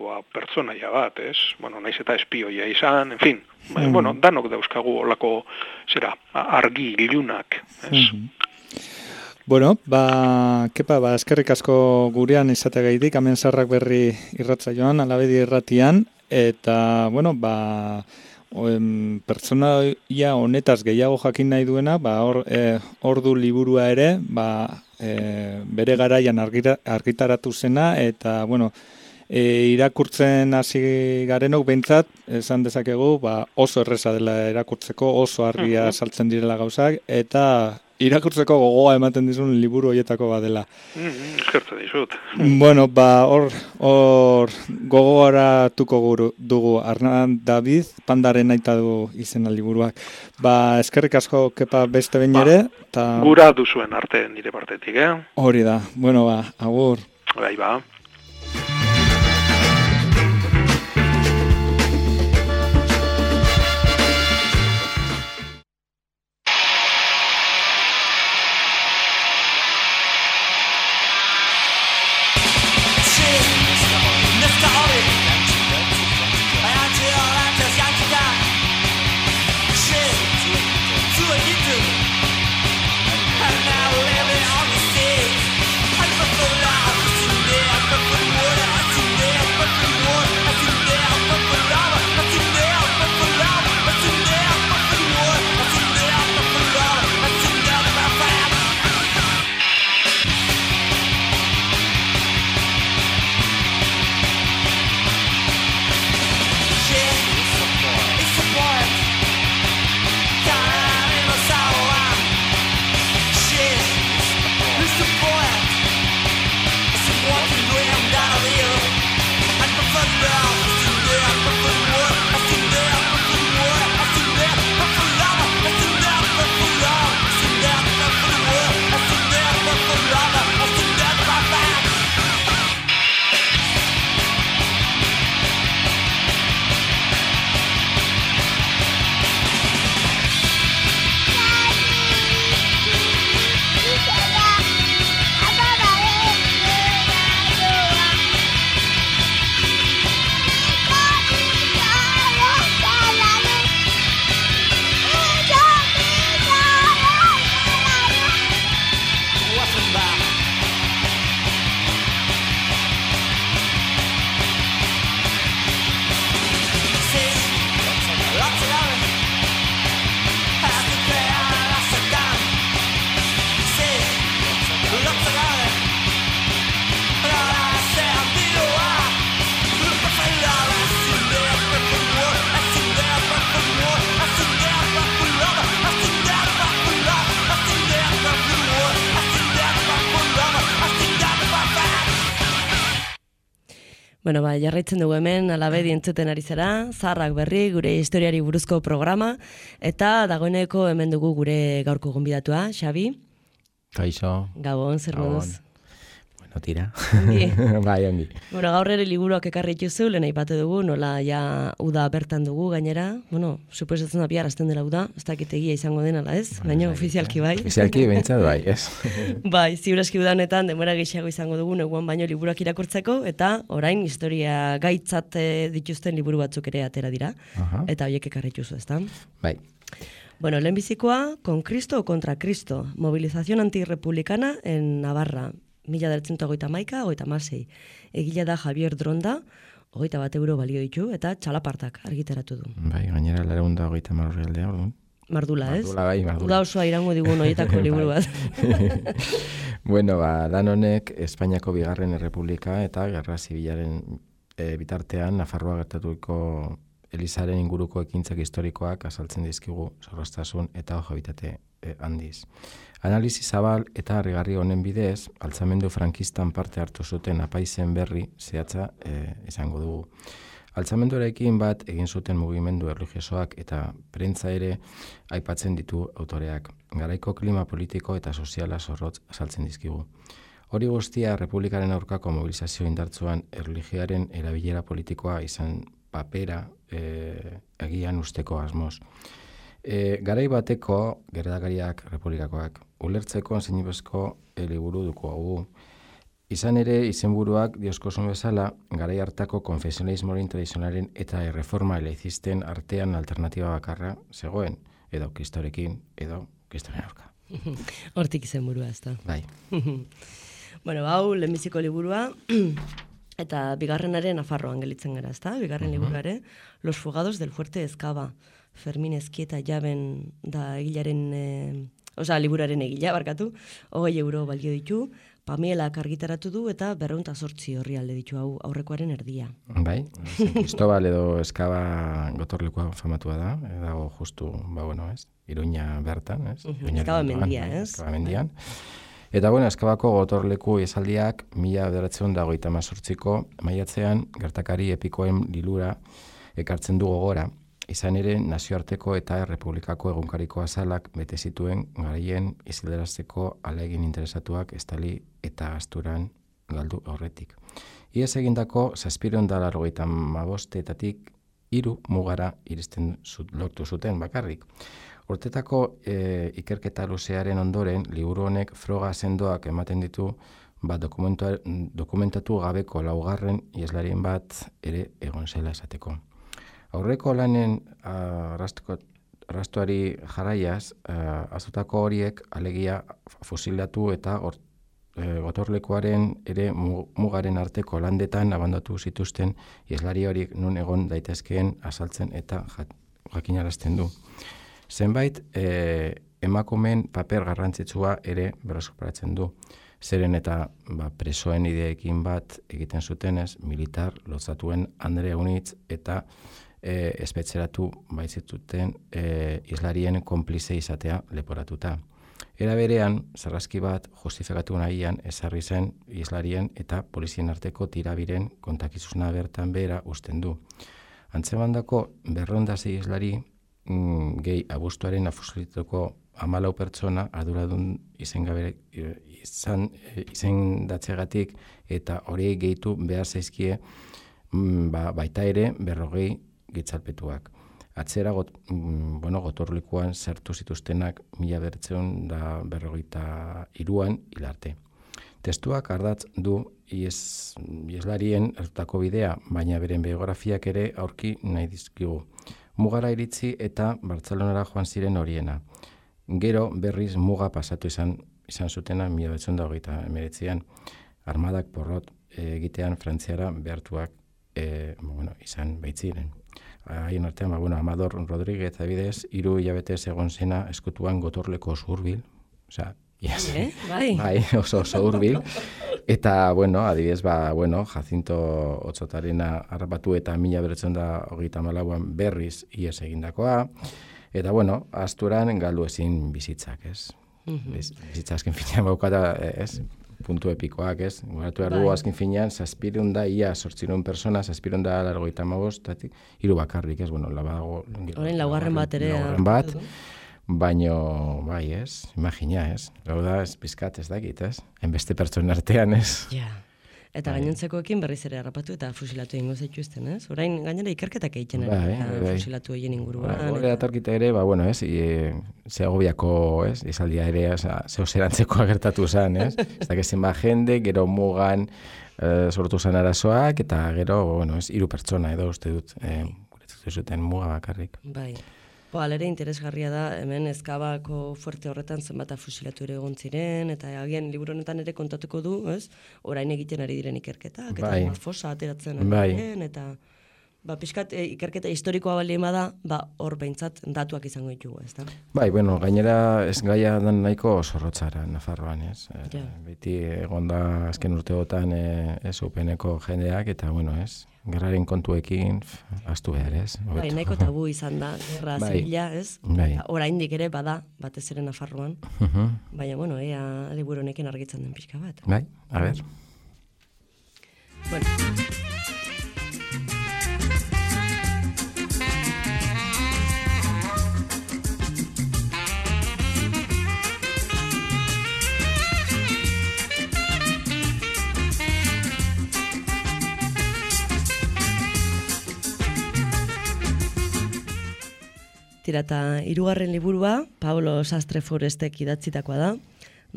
ba, pertsonaia bat, ez? Bueno, naiz eta espioia izan, en fin. Mm. Bueno, danok dauzkagu olako, zera, argi ilunak, ez? Mm. Bueno, ba, kepa, ba, eskerrik asko gurean izategaitik, hemen Zarrak Berri irratsaioan, Alabedi irratian, eta, bueno, ba, oen, pertsonaia honetaz gehiago jakin nahi duena, ba, hor, e, ordu liburua ere, ba, e, bere garaian argira, argitaratu zena, eta, bueno, e, irakurtzen hasi garenok behintzat, esan dezakegu, ba, oso erreza dela irakurtzeko, oso argia saltzen direla gauzak, eta irakurtzeko gogoa ematen dizun liburu hoietako badela. Mm, eskertzen dizut. Bueno, ba, hor, hor gogoratuko guru dugu Arnan David, Pandaren aita du izena liburuak. Ba, eskerrik asko kepa beste behin ere. Ta... Gura duzuen arte nire partetik, eh? Hori da. Bueno, ba, agur. Bai, ba. Bueno, ba, jarraitzen dugu hemen, Alabedi entzuten ari zara, Zarrak Berri, gure historiari buruzko programa, eta dagoeneko hemen dugu gure gaurko gonbidatua, Xabi. Kaixo. Gabon, zer moduz? Bueno, tira. Ongi. Bai, ongi. Bueno, gaur ere liburuak ekarri dituzu, lehen aipatu dugu, nola ja uda bertan dugu gainera. Bueno, suposatzen da bihar hasten dela uda, ez dakit egia izango den ala ez, Bueno, baina bai, ofizialki bai. Ofizialki bentsat bai, ez? Bai, ziuraski udanetan denbora gehiago izango dugu neguan baino liburuak irakurtzeko, eta orain historia gaitzat eh, dituzten liburu batzuk ere atera dira, Aha. eta horiek ekarri dituzu, ezta? Bai. Bueno, lehenbizikoa, Con Cristo o contra Cristo, movilización antirrepublicana en Navarra, mila bederatziehun eta hogeita hamaika, hogeita hamasei. Egile da Javier Dronda, hogeita bat euro balio ditu, eta txalapartak argitaratu du. Bai, gainera lareun da hogeita marroi aldea, orduan. Mardula, ez? Mardula, bai, mardula. Uda osoa irango digun horietako liburu bat. Bueno, ba, lan honek Espainiako bigarren errepublika eta gerra zibilaren e, bitartean Nafarroa gertatuko Elizaren inguruko ekintzak historikoak azaltzen dizkigu zorroztasun eta habitate e, handiz. Analizi zabal eta harrigarri honen bidez, altzamendu frankistan parte hartu zuten apaizen berri zehatza e, izango dugu. Altzamenduarekin bat egin zuten mugimendu erlijiosoak eta prentza ere aipatzen ditu autoreak. Garaiko klima politiko eta soziala zorrotz azaltzen dizkigu. Hori guztia Republikaren aurkako mobilizazio indartzuan erlijioaren erabilera politikoa izan papera e, agian usteko asmoz. E, garai bateko gertakariak republikakoak ulertzeko zinibezko liburu duko hau. Izan ere, izenburuak dioskosun bezala, garai hartako konfesionalismoaren tradizionalen eta erreforma eleizisten artean alternatiba bakarra zegoen, edo kristorekin, edo kristoren aurka. Hortik izenburua, ez da. Bai. Bueno, hau, lehenbiziko liburua, eta bigarrenaren Nafarroan gelitzen gara, ez da? Bigarren uh-huh. liburuare, Los fugados del fuerte Ezkaba, Fermin Ezkieta jaben da egilaren, e, oza, liburaren egila, barkatu, hogei euro balio ditu, Pamielak argitaratu du eta berreunta sortzi horri alde ditu hau aurrekoaren erdia. Bai, Cristobal edo Ezkaba gotorlekua famatua da, dago justu, ba bueno, ez, Iruña bertan, ez? Uh-huh. Ezkaba mendia, ez? Ezkaba mendian. Eta bueno, Ezkabako gotorleku esaldiak mila bederatziehun eta hogeita hemezortziko maiatzean gertakari epikoen lilura ekartzen du gogora. Izan ere, nazioarteko eta errepublikako egunkariko azalak bete zituen garaien isilderazteko ahalegin interesatuak estali eta asturan galdu aurretik. Iaz egindako zazpiehun eta laurogeita hamabostetatik hiru mugara iristen zut, lortu zuten bakarrik. Urtetako e, ikerketa luzearen ondoren, liburu honek froga sendoak ematen ditu ba, dokumentatu gabeko laugarren ieslarien bat ere egon zela esateko. Aurreko lanen arrastuari jarraiaz, azutako horiek alegia fusilatu eta or, e, gotorlekuaren ere mugaren arteko landetan abandatu zituzten ieslari horiek nun egon daitezkeen azaltzen eta jakinarazten du. Zenbait e, emakumeen paper garrantzitsua ere berreskuratzen du. Zeren eta ba, presoen ideekin bat egiten zutenez, militar lotzatuen Andre Unitz eta e, espetzeratu baitzituten e, islarien konplize izatea leporatuta. Era berean, sarraski bat justifikatu nahian ezarri zen islarien eta polizien arteko tirabiren kontakizuzna bertan behera usten du. Antzemandako berrondasi islari mm, gehi abuztuaren afusilituko hamalau pertsona arduradun izengabe izan izendatzegatik eta horiei gehitu behar zaizkie mm, ba, baita ere berrogei gitzalpetuak. Atzera got, mm, bueno, gotorlekuan sartu zituztenak mila bederatziehun da berrogeita hiruan hilarte. Testuak ardatz du ies, ieslarien hartutako bidea, baina beren biografiak ere aurki nahi dizkigu. Mugara iritzi eta Bartzelonara joan ziren horiena. Gero berriz muga pasatu izan izan zutena mila bederatziehun eta hogeita hemeretzian armadak porrot egitean Frantziara behartuak e, bueno, izan baitziren. Haien artean, ba, bueno, Amador Rodríguez adibidez, hiru hilabete egon zena eskutuan gotorleko oso hurbil, osea, yes. Eh? Bai. Bai, oso oso hurbil. Eta, bueno, adibidez, ba, bueno, Jacinto Otsotarena harrapatu eta mila bederatziehun eta hogeita hamalauan berriz ihes egindakoa. Eta, bueno, asturan galdu ezin bizitzak, ez? Mm-hmm. Bizitza azken finean baukata, ez? Puntu epikoak, ez? Guratu behar dugu azken finean, zazpirun da, ia sortzirun persona, zazpirun da largoita magoz, hiru bakarrik, ez? Bueno, labago... Horren laugarren bat ere... Laugarren bat, baino, bai, ez? Imagina, ez? Gau da, ez bizkat ez dakit, ez? Enbeste pertsonen artean, ez? Ja. Eta bai. Gainontzekoekin berriz ere harrapatu eta fusilatu egingo zaituzten, ez? Orain gainera ikerketak egiten bai, bai, bai. Fusilatu egin inguruan. Bai, Horre atorkita ere, ba, bueno, ez? E, Segoviako, ez? Izaldia ere, zeo zerantzeko agertatu zen, ez? Ez dakezen ba jende, gero mugan e, sortu zen arazoak, eta gero, bueno, ez? Hiru pertsona edo uste dut, e, guretzatu zuten muga bakarrik. Bai. Bo, alere interesgarria da, hemen Ezkabako fuerte horretan zenbat fusilatu ere egon ziren, eta agian liburu honetan ere kontatuko du, ez? Orain egiten ari diren ikerketak, eta Bai. fosa ateratzen ari Bai. diren, eta ba, pixkat e, ikerketa historikoa baldin bada, ba, hor behintzat datuak izango ditugu, ez da? Bai, bueno, gainera ez gaia dan nahiko zorrotzara Nafarroan, ez? E, Ja. Beti egon da azken urteotan e, ez upeneko jendeak, eta bueno, ez? Gerraren kontuekin, f, astu behar, ez? Bai, Hobeto. nahiko tabu izan da, gerra Bai. zibila, ez? Bai. Oraindik ere bada, batez ere Nafarroan, Mhm. baina, bueno, ea liburu honekin argitzen den pixka bat. Bai, a ber. Bueno. Tira, eta hirugarren liburua, Pablo Sastre Forestek idatzitakoa da,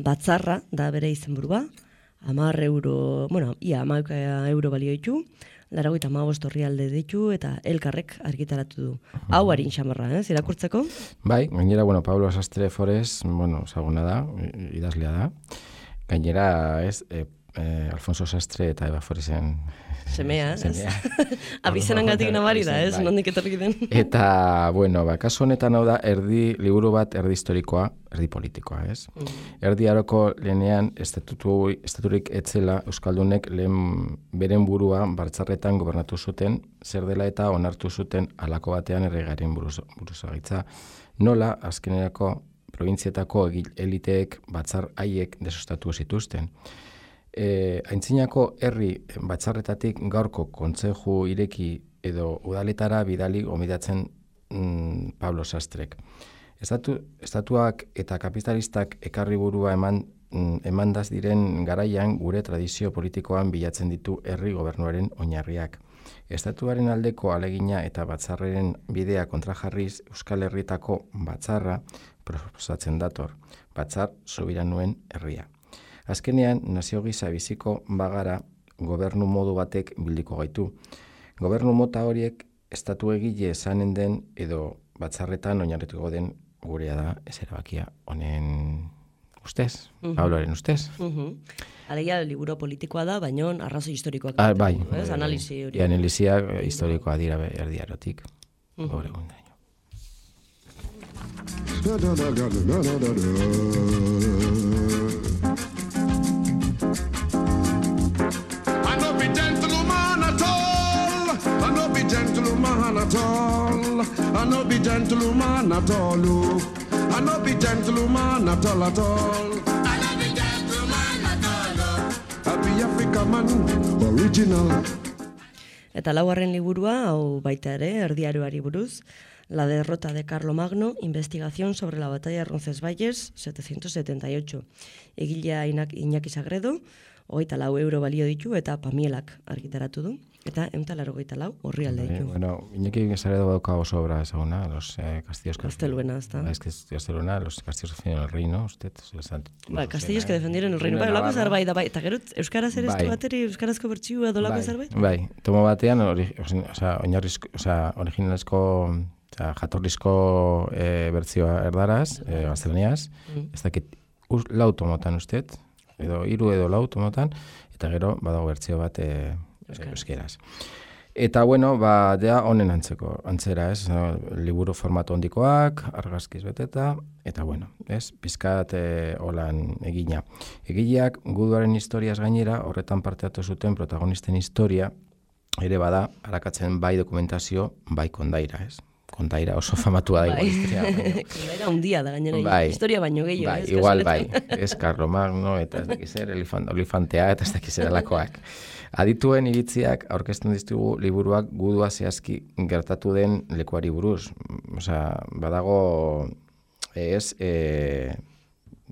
Batzarra da bere izenburua, hamar euro, bueno, ia hamar euro balio ditu, laurogeita hamabost orrialde ditu eta elkarrek argitaratu du. Hau harin xamarra, ez, irakurtzeko? Bai, gainera, bueno, Pablo Sastre Forest, bueno, ezaguna da, i- idazlea da. Gainera, ez, e, e, Alfonso Sastre eta Eva Foresen Semea, ez? semea. Abizenangatik nabari da, ez? Bai. Nondik etorri den. Eta, bueno, ba, kasu honetan hau da, erdi, liburu bat erdi historikoa, erdi politikoa, ez? Erdi aroko lehenean estatutu, estaturik etzela Euskaldunek lehen beren burua Batzarretan gobernatu zuten, zer dela eta onartu zuten halako batean erregaren buruz, buruzagitza. Nola, azkenerako probintzietako egil- eliteek batzar haiek desostatu zituzten. E, aintzinako herri batzarretatik gaurko kontzeju ireki edo udaletara bidali gomidatzen mm, Pablo Sastrek. Estatu, estatuak eta kapitalistak ekarri burua eman, mm, emandaz diren garaian gure tradizio politikoan bilatzen ditu herri gobernuaren oinarriak. Estatuaren aldeko alegina eta batzarreren bidea kontrajarriz Euskal Herritako batzarra proposatzen dator, batzar sobiranuen herria. Azkenean, nazio gisa biziko bagara gobernu modu batek bildiko gaitu. Gobernu mota horiek estatu egile esanen den edo batzarretan oinarrituko den gurea da ez erabakia honen ustez, Mhm. Pabloren ustez. Mhm. Alegia, liburu politikoa da, baina arrazoi historikoak. Ah, bai, ditu, ez? eh, Analisi hori. e, analisiak eh, historikoa dira be- erdiarotik. Mhm. Gaur egundaino. I no be gentleman at all. I no be gentleman at all. I no be gentleman at all. oh. I no be gentleman at all at all. I no be gentleman at all. oh. I be African man, original. Eta laugarren liburua, hau baita ere, erdiaroari buruz, La derrota de Carlomagno, investigación sobre la batalla de Roncesvalles, setecientos setenta y ocho. Egilea Inak- Iñaki Sagredo, hogeita lau euro balio ditu, eta Pamielak argitaratu du. Eta ehun eta laurogeita lau orrialde Bai, ditu. bueno, Iñaki Sagredo dauka oso obra ezaguna, los eh, castillos que... Gazteluena, ezta? Es que es Gazteluena, los castillos que defendieron el reino, usted... Ba, Castillos que defendieron el reino. Bai, olako zerbait da, bai. Eta gero, Euskaraz ere Bai. estu bateri, Euskarazko bertsioa dolako zerbait? Bai, tomo batean, ori, osea, oinarrizko, osea, originalezko, osea, jatorrizko e, bertzioa erdaraz, e, gaztelaniaz, Mm. ez dakit, us, lau tomotan usted, edo hiru edo lau tomotan, eta gero badago bertzio bat e, Euskaraz. euskeraz. Eta bueno, ba, dea honen antzeko, antzera, ez, no, liburu formato hondikoak, argazkiz beteta, eta bueno, ez, pizkat e, holan egina. Egileak guduaren historiaz gainera, horretan parte hartu zuten protagonisten historia, ere bada, arakatzen bai dokumentazio, bai kondaira, ez. Kondaira oso famatua da Bai. igual historia. baina- Kondaira handia da gainera, Bai. historia baino gehiago. Bai, ez, igual bai, kasualetan. ez Carlomagno eta ez dakiz zer, elefant, olifantea eta ez dakiz zer alakoak. Adituen iritziak aurkezten dizkigu liburuak gudua zehazki gertatu den lekuari buruz. Osea, badago ez e,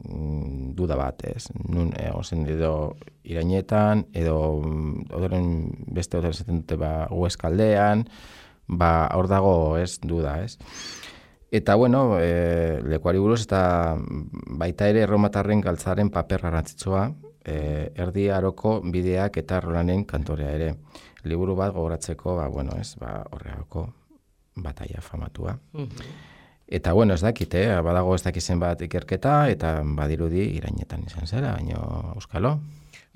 mm, duda bat, ez? Nun egozen edo irainetan, edo mm, odoren beste odoren zaten dute ba Hueskaldean, ba hor dago ez duda, ez? Eta bueno, e, lekuari buruz eta baita ere erromatarren galtzaren paper garrantzitsua, e, erdi aroko bideak eta Rolanen kantorea ere. Liburu bat gogoratzeko, ba bueno, ez, ba horreako bataia famatua. Mhm. Eta, bueno, ez dakit, eh? Badago ez dakizen bat ikerketa, eta badirudi irainetan izan zera, baino euskalo.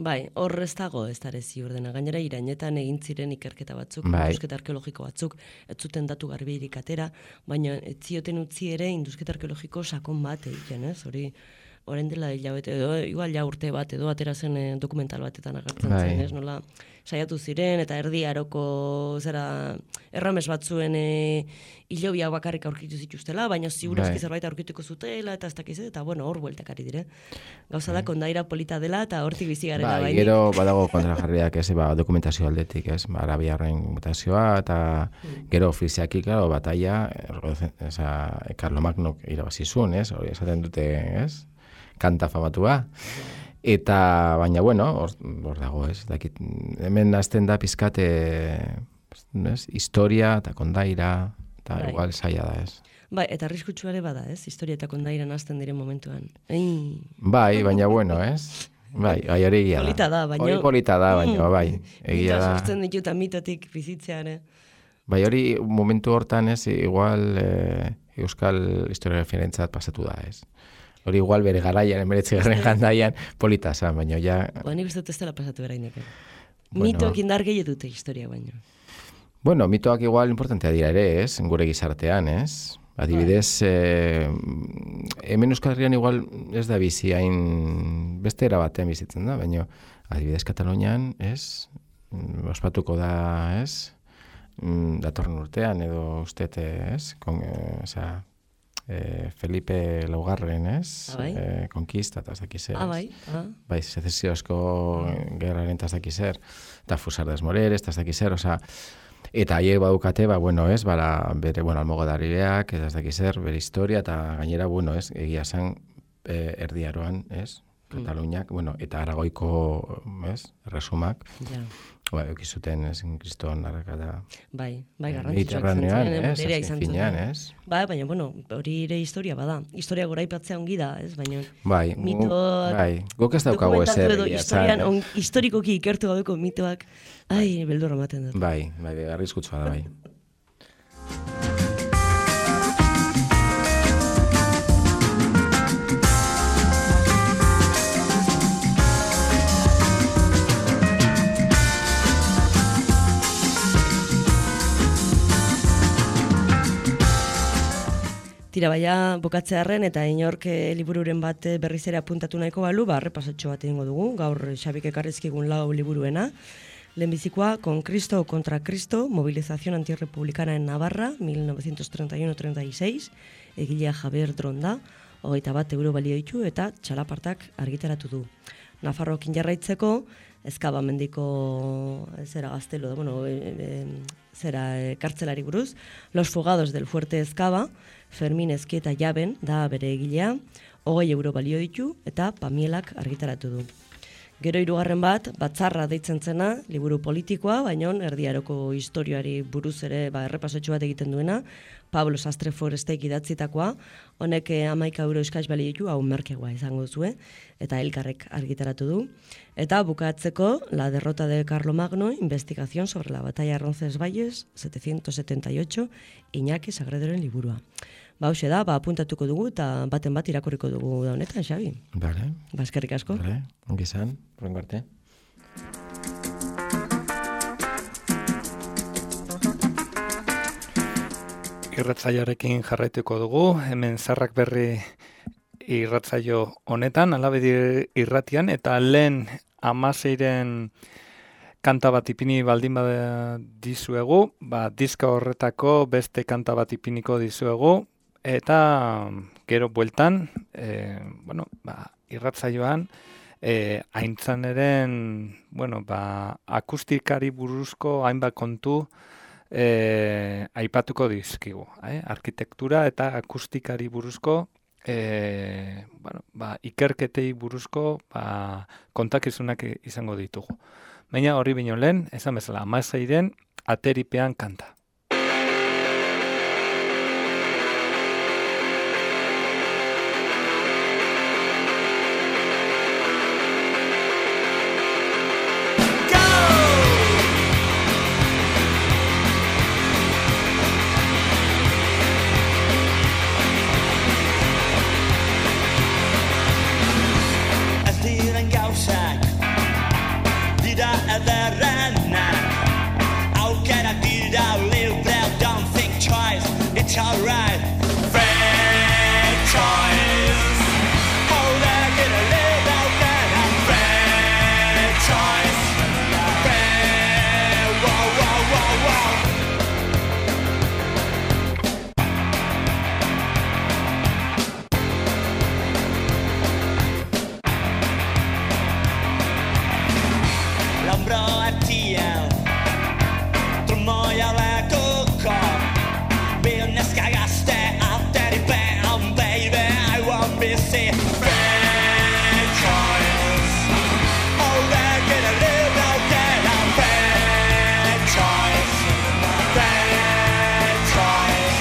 Bai, hor ez dago ez dara ziur dena. Gainera irainetan egin ziren ikerketa batzuk, bai. Indusketa arkeologiko batzuk, ez zuten datu garbirik atera, baina ez zioten utzi ere indusketa arkeologiko sakon bat egiten, ez? Hori, orain dela hilabete, edo igual ja urte bat, edo atera zen eh, dokumental batetan agertzen bai. zen, ez? Nola saiatu ziren, eta erdi aroko zera errames batzuen e, hilobiak bakarrik aurkitu zituztela, baina ziurazki bai. zerbait aurkituko zutela, eta ez dakiz, eta bueno, hor bueltakari dire. Gauza da, kondaira polita dela, eta hortik bizi garela Bai, bainik. gero badago kontrajarriak ez, ba, dokumentazio aldetik, ez, ba, arabiarren mutazioa, eta gero ofiziaki, claro, bataia, eza, Karlomagnok irabazi zuen, ez, hori esaten dute, ez, kanta famatua, eta, baina, bueno, hor, hor dago, ez, dakit, hemen hasten da pizkate, ez, historia eta kondaira, eta Bai. igual zaila da, ez. Bai, eta arriskutsua ere bada, ez? Historia eta kondairan hasten diren momentuan. Ei. Bai, baina bueno, ez? Bai, bai, hori egia da. Polita da, baina... Hori polita da, baina, bai, egia Mitoa da. sortzen ditut eta mitotik bizitzea ere. Bai, hori momentu hortan, ez, igual eh, euskal historia referentzat pasatu da, ez? Hori igual bere garaian, emeretzi garren gandaian, polita zan, baina ja... Ba, nik uste dut ez dela pasatu berainek. Bueno. Mitoak indar gehi dute historia baino. Bueno, mitoak igual importantea dira ere, ez? Gure gizartean, ez? Adibidez, eh, hemen Euskal Herrian igual ez da bizi hain beste era batean bizitzen da, baina adibidez Katalunian, ez? Ospatuko da, ez? Datorren urtean edo ustete, ez? Kon, eh, osea, eh, Felipe laugarren, ez? Ah, bai? Eh, konkista, eta ez dakiz zer. Ah, bai? Ah. Bai, sezesiozko gerraren eta ez dakiz zer. Eta Fusardes Moreres, eta ez dakiz zer, osea, eta haiek badukate, ba, bueno, ez, bara, bere, bueno, almogadariak, ez dakiz zer, bere historia, eta gainera, bueno, ez, egia zen, eh, erdiaroan, ez, Kataluniak, mm. bueno, eta Aragoiko, ez, erresumak, ja. Ba, eukizuten, ez, kriston arrakada. Bai, bai, garrantzitsuak Mediterranean, ez, berea azken izan finean, zuten. ez. Bai, baina, bueno, hori ere historia bada. Historia goraipatzea ongi da, ez, baina... Bai, mitoak... bai, guk ez daukagu ezer. Edo historian, on, historikoki ikertu gabeko mitoak, ai, beldurra ematen dut. Bai, bai, bai, arriskutsua da, bai. Tira baia bukatzearren eta inork e, libururen bat berriz ere apuntatu nahiko balu, ba, repasatxo bat egingo dugu, gaur Xabik ekarrizkigun lau liburuena. Lehenbizikoa, Con Cristo o contra Cristo, Movilización Antirrepublicana en Navarra, mil novecientos treinta y uno treinta y seis, egilea Javier Dronda, hogeita bat euro balio ditu eta txalapartak argitaratu du. Nafarrokin jarraitzeko, Ezkaba mendiko zera gaztelo, bueno, e, e, zera e, kartzelari buruz, Los Fugados del Fuerte Ezkaba, Fermin Ezkieta Jaben da bere egilea, hogei euro balio ditu eta Pamielak argitaratu du. Gero hirugarren bat, Batzarra deitzen zena, liburu politikoa, baina erdiaroko historioari buruz ere ba, errepasotxo bat egiten duena, Pablo Sastre Forestek idatzitakoa, honek hamaika euro eskaz bali ditu, hau merkegoa izango zue, eta elkarrek argitaratu du. Eta bukatzeko, La derrota de Carlomagno, investigación sobre la batalla de Roncesvalles, setecientos setenta y ocho, Iñaki Sagredoren liburua. Ba, hoxe da, ba, apuntatuko dugu eta baten bat irakurriko dugu da honetan, Xabi. Bale. Ba, eskerrik asko. Bale, ongi izan, horrengo arte. Irratzaioarekin jarraituko dugu, hemen Zarrak Berri irratzaio honetan, Alabedi irratian, eta lehen amaseiren kanta bat ipini baldin bada dizuegu, ba, diska horretako beste kanta bat ipiniko dizuegu, eta gero bueltan, e, bueno, ba, irratzaioan, e, aintzaneren, bueno, ba, akustikari buruzko hainbat kontu e, aipatuko dizkigu. Eh? Arkitektura eta akustikari buruzko, e, bueno, ba, ikerketei buruzko ba, kontakizunak izango ditugu. Baina hori bino lehen, esan bezala, amaseiren ateripean kanta. ederrena. Aukerak dira libre, don't think twice, it's alright. Fair choice. Oh, they're gonna live out there. Fair choice. Fair, whoa, whoa, whoa, whoa. L'ombro attiel, trumoia le cucco. Business cagaste alteri bam, baby, I won't be sick. Fair choice. Oh, they're gonna live out there. Fair choice. Fair choice.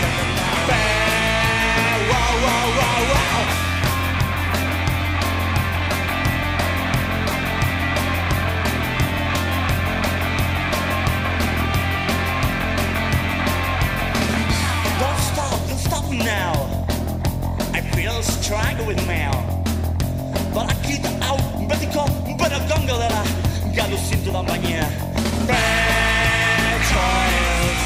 Fair, whoa, whoa, whoa, whoa. Don't stop, don't stop now. I feel strangled with mail. But I keep out, betiko, bera gongo dela. Galo zintu dan baina. Fair choice.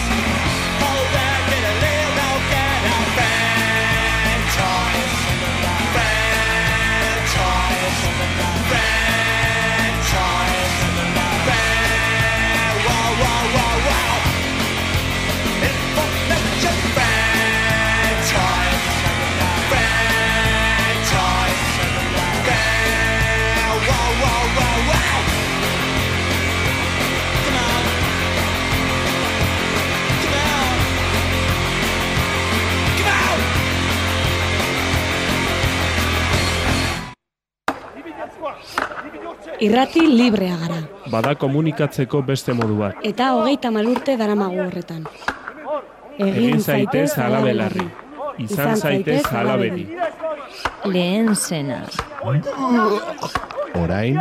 Oh, they're gonna live out there. Fair choice. Fair choice. Fair choice. Fair, whoa, whoa, whoa, whoa. Information. Fair choice. Fair choice. Fair, whoa, whoa, whoa, whoa. Come on. Come on. Come on. Irrati librea gara. Bada komunikatzeko beste modu bat. Eta hogeita hamar urte daramagu horretan. Egin zaitez hala belarri. Izan zaitez hala beti. Lehen zena. Orain,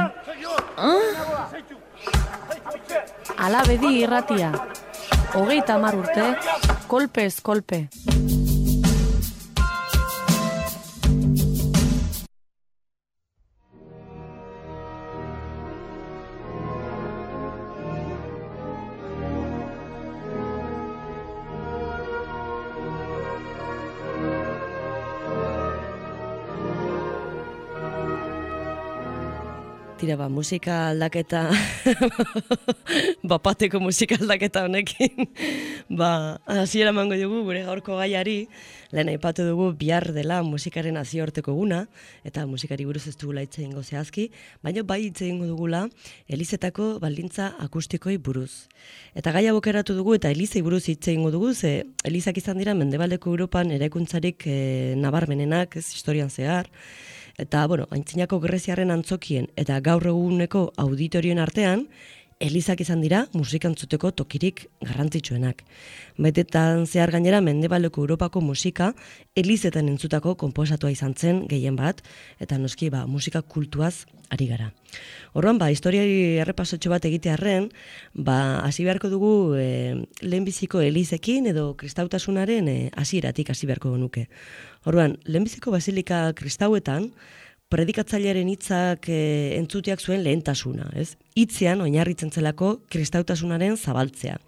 Alabedi irratia. Hogeita hamar urte, kolpez kolpe. Tira, ba, musika aldaketa, bapateko musika aldaketa honekin, ba, hasiera emango dugu gure gaurko gaiari, lehen aipatu dugu bihar dela musikaren nazioarteko eguna, eta musikari buruz ez dugula hitz egingo zehazki, baina bai hitz egingo dugula elizetako baldintza akustikoi buruz. Eta gaia bokeratu dugu eta elizei buruz hitz egingo dugu, ze elizak izan dira Mendebaldeko Europan eraikuntzarik e, nabarmenenak, ez historian zehar. Eta, bueno, aintzinako Greziarren antzokien eta gaur eguneko auditorioen artean, elizak izan dira musika entzuteko tokirik garrantzitsuenak. Betetan zehar gainera Mendebaldeko Europako musika elizetan entzutako konposatua izan zen gehien bat, eta noski ba, musika kultuaz ari gara. Orduan, ba, historiari errepasotxo bat egitearren, ba, hasi beharko dugu e, lehenbiziko elizekin edo kristautasunaren e, hasieratik hasi beharko nuke. Orduan, lehenbiziko basilika kristauetan, predikatzailearen hitzak e, entzuteak zuen lehentasuna, ez? Hitzean oinarritzen zelako kristautasunaren zabaltzea.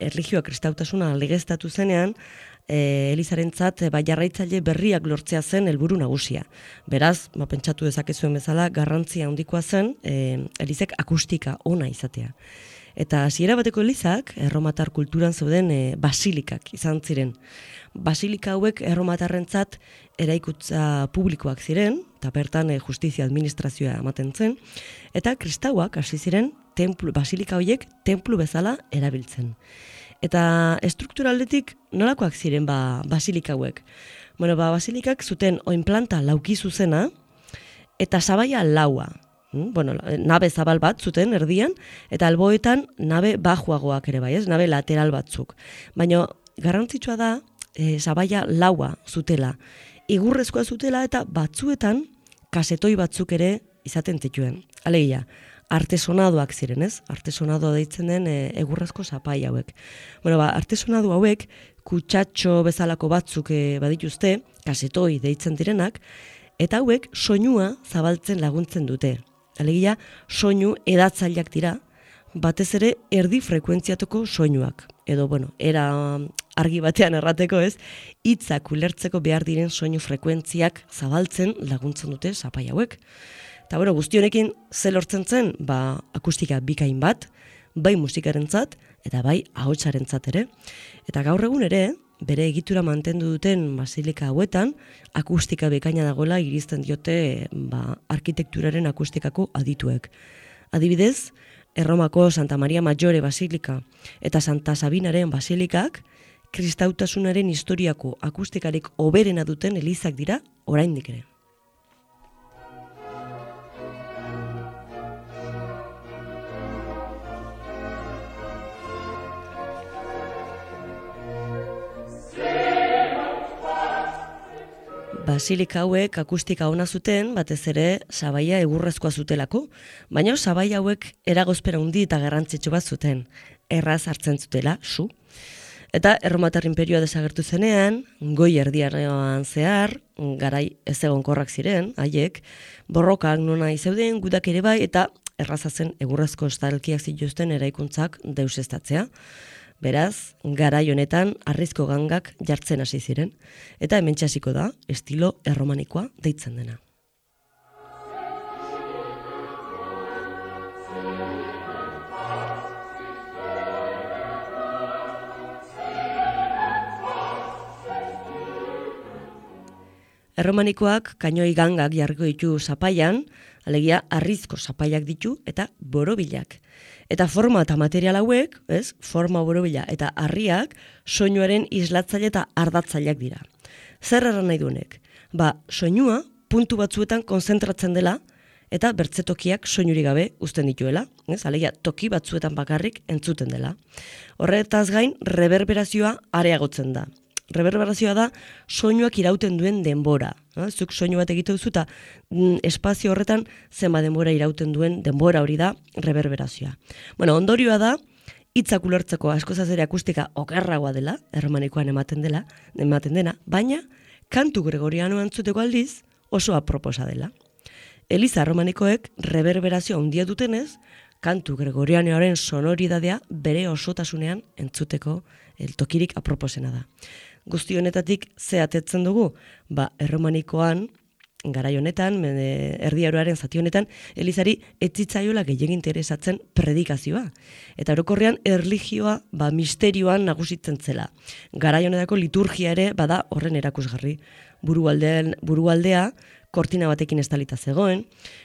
Erlijioa kristautasuna legeztatu zenean, e, elizarentzat e, ba, jarraitzaile berriak lortzea zen helburu nagusia. Beraz, ba, pentsatu dezakezuen bezala, garrantzia handikoa zen e, elizek akustika ona izatea. Eta hasiera bateko elizak, erromatar kulturan zeuden e, basilikak izan ziren. Basilika hauek erromatarrentzat eraikutza publikoak ziren, eta bertan e, justizia administrazioa ematen zen, eta kristauak hasi ziren templu, basilika horiek templu bezala erabiltzen. Eta estrukturaldetik nolakoak ziren ba, basilika hauek? Bueno, ba, basilikak zuten oinplanta lauki zuzena, eta sabaia laua. Bueno, nabe zabal bat zuten erdian, eta alboetan nabe bajuagoak ere bai, ez? Nabe lateral batzuk. Baina garrantzitsua da, e, sabaia laua zutela. Igurrezkoa zutela eta batzuetan kasetoi batzuk ere izaten zituen. Alegia, artesonadoak ziren, ez? Artesonadoa deitzen den e, egurrezko zapai hauek. Bueno, ba, artesonado hauek kutsatxo bezalako batzuk e, badituzte, kasetoi deitzen direnak, eta hauek soinua zabaltzen laguntzen dute. Alegia, soinu edatzaileak dira, batez ere erdi frekuentziatuko soinuak. Edo, bueno, era argi batean errateko ez, hitzak ulertzeko behar diren soinu frekuentziak zabaltzen laguntzen dute zapai hauek. Eta, bueno, guzti honekin ze lortzen zen, ba, akustika bikain bat, bai musikarentzat eta bai ahotsarentzat ere. Eta gaur egun ere, bere egitura mantendu duten basilika hauetan, akustika bekaina dagoela irizten diote ba, arkitekturaren akustikako adituek. Adibidez, Erromako Santa Maria Maggiore Basilika eta Santa Sabinaren Basilikak kristautasunaren historiako akustikarik hoberena duten elizak dira oraindik ere. Basilika hauek akustika ona zuten, batez ere sabaia egurrezkoa zutelako, baina sabaia hauek eragozpera handi eta garrantzitsu bat zuten, erraz hartzen zutela, su. Eta Erromatar Inperioa desagertu zenean, goi erdiaroan zehar, garai ez egonkorrak ziren, haiek, borrokak nona izeuden, gudak ere bai, eta erraza zen egurrezko estalkiak zituzten eraikuntzak deusestatzea. Beraz, garai honetan harrizko gangak jartzen hasi ziren, eta hementxe hasiko da estilo erromanikoa deitzen dena. Erromanikoak kainoi gangak jarriko ditu zapaian, alegia harrizko zapaiak ditu eta borobilak. Eta forma eta material hauek, ez, forma borobila eta harriak soinuaren islatzaile eta ardatzaileak dira. Zer erran nahi duenek? Ba, soinua puntu batzuetan konzentratzen dela eta bertzetokiak soinurik gabe uzten dituela, ez, alegia toki batzuetan bakarrik entzuten dela. Horretaz gain, reverberazioa areagotzen da. Reverberazioa da soinuak irauten duen denbora. Zuk soinu bat egite duzu eta mm, espazio horretan zenba denbora irauten duen denbora hori da reverberazioa. Bueno, ondorioa da hitzak ulertzeko askozaz ere akustika okerragoa dela, erromanikoan ematen dela, ematen dena, baina kantu gregoriano entzuteko aldiz oso aproposa dela. Eliza erromanikoek reverberazioa handia dutenez, kantu gregorianoaren sonoridadea bere osotasunean entzuteko el tokirik aproposena da. Guzti honetatik ze atetzen dugu? Ba, erromanikoan, garai honetan, erdiaroaren zati honetan, elizari etzitzaiola gehiagin interesatzen predikazioa. Eta orokorrean erlijioa ba, misterioan nagusitzen zela. Garai honetako liturgia ere bada horren erakusgarri. Burualdean, burualdea, kortina batekin estalita zegoen,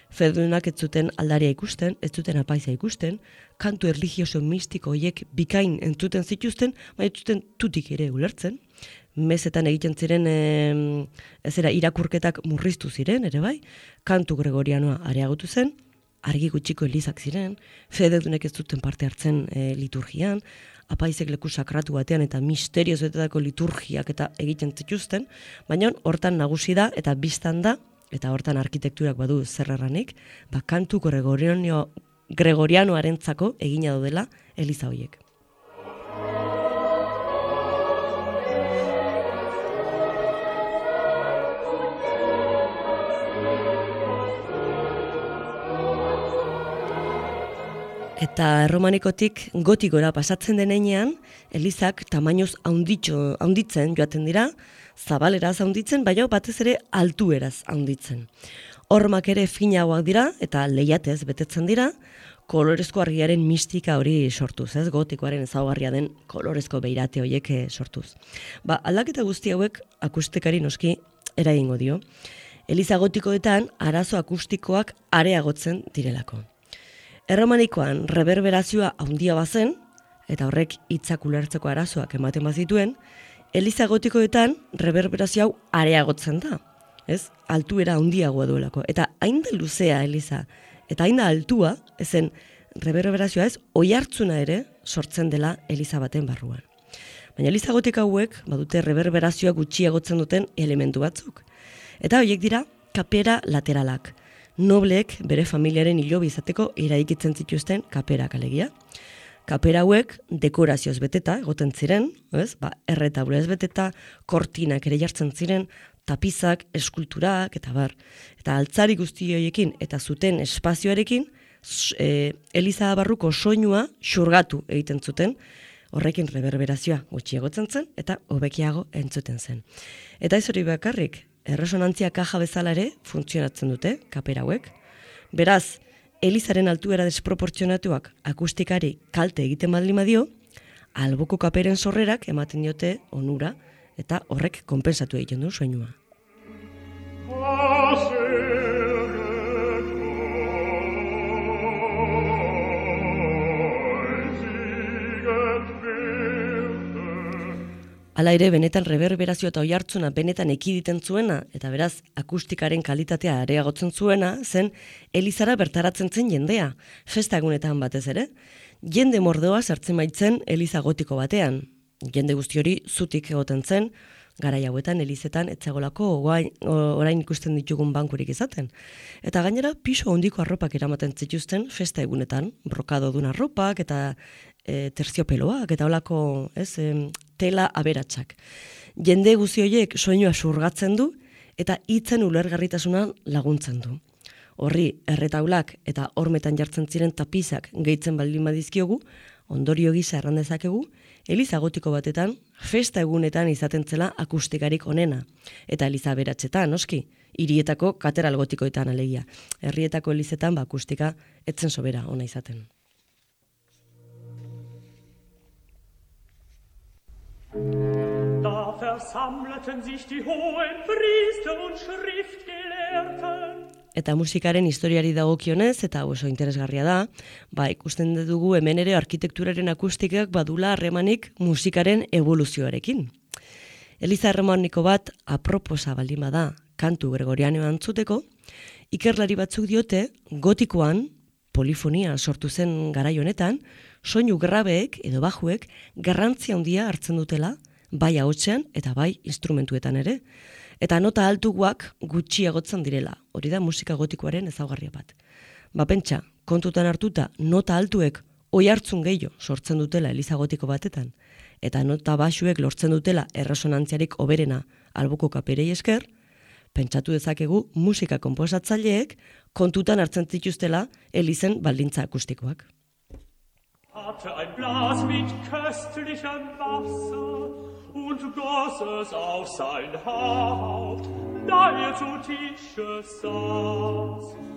fedunak ez zuten aldaria ikusten, ez zuten apaiza ikusten, kantu erlijioso mistiko horiek bikain entzuten zituzten, baina ez zuten tutik ere ulertzen. Mezetan egiten ziren e, ezera irakurketak murriztu ziren, ere bai, kantu gregorianoa areagotu zen, argi gutxiko elizak ziren, fededunek ez zuten parte hartzen e, liturgian, apaizek leku sakratu batean eta misterioz betetako liturgiak eta egiten zituzten, baina hortan nagusi da eta biztan da, eta hortan arkitekturak badu zerrarranik, ba, kantu gregoriano, gregorianoarentzako egina daudela eliza horiek. Eta erromanikotik gotikora pasatzen denean, elizak tamainoz haunditxo, haunditzen joaten dira, zabaleraz haunditzen, baina batez ere altueraz haunditzen. Hormak ere finagoak dira eta lehiatez betetzen dira, kolorezko argiaren mistika hori sortuz, ez? Gotikoaren ezaugarria den kolorezko beirate horiek sortuz. Ba, aldaketa guzti hauek akustikari noski eragingo dio. Eliza gotikoetan arazo akustikoak areagotzen direlako. Erromanikoan reverberazioa handia bazen, eta horrek hitzak ulertzeko arazoak ematen bazituen, eliza gotikoetan reverberazio hau areagotzen da. Ez? Altuera handiagoa duelako. Eta hain da luzea eliza, eta hain da altua, ezen reverberazioa ez, oihartzuna ere sortzen dela eliza baten barruan. Baina eliza gotika hauek badute reverberazioa gutxiagotzen duten elementu batzuk. Eta horiek dira kapera lateralak. Nobleek bere familiaren hilobi izateko eraikitzen zituzten kaperak alegia. Kapera hauek dekorazioz beteta egoten ziren, ez? Ba, erretaulez beteta, kortinak ere jartzen ziren, tapizak, eskulturak eta bar. Eta altzari guzti horiekin eta zuten espazioarekin e, eliza barruko soinua xurgatu egiten zuten, horrekin reverberazioa gutxiagotzen zen eta hobekiago entzuten zen. Eta ez hori bakarrik, erresonantzia kaja bezala ere funtzionatzen dute kapera hauek. Beraz, elizaren altuera desproportzionatuak akustikari kalte egiten baldin badio, alboko kaperen sorrerak ematen diote onura eta horrek konpentsatu egiten du soinua. Hala ere, benetan reverberazio eta oihartzuna benetan ekiditen zuena, eta beraz, akustikaren kalitatea areagotzen zuena, zen elizara bertaratzen zen jendea, festa egunetan batez ere. Jende mordoa sartzen baitzen eliza gotiko batean. Jende guzti hori zutik egoten zen, garai hauetan elizetan etzagolako orain, orain ikusten ditugun bankurik izaten. Eta gainera, piso handiko arropak eramaten zituzten festa egunetan, brokado dun arropak eta e, terziopeloak eta holako, ez, e, tela aberatsak. Jende guzti horiek soinua xurgatzen du eta hitzen ulergarritasunan laguntzen du. Horri erretaulak eta hormetan jartzen ziren tapizak gehitzen baldin badizkiogu, ondorio gisa erran dezakegu, eliza gotiko batetan festa egunetan izaten zela akustikarik onena. Eta eliza aberatsetan, noski, hirietako katedral gotikoetan alegia. Herrietako elizetan ba akustika etzen sobera ona izaten. Da versammelten sich die hohen Priester und Schriftgelehrten. Eta musikaren historiari dagokionez, eta oso interesgarria da, ba, ikusten dugu hemen ere arkitekturaren akustikak badula harremanik musikaren evoluzioarekin. Eliza harremaniko bat aproposa baldin bada kantu gregorianoa antzuteko, ikerlari batzuk diote gotikoan polifonia sortu zen garai honetan, soinu grabeek edo bajuek garrantzia handia hartzen dutela, bai ahotsean eta bai instrumentuetan ere. Eta nota altuak gutxiagotzen direla. Hori da musika gotikoaren ezaugarria bat. Ba pentsa, kontutan hartuta nota altuek oihartzun gehiago sortzen dutela eliza gotiko batetan, eta nota baxuek lortzen dutela erresonantziarik hoberena alboko kaperei esker, pentsatu dezakegu musika konposatzaileek kontutan hartzen zituztela elizen baldintza akustikoak. Hatte ein Glas mit köstlichem Wasser und goss es auf sein Haupt, da er zu Tische saß.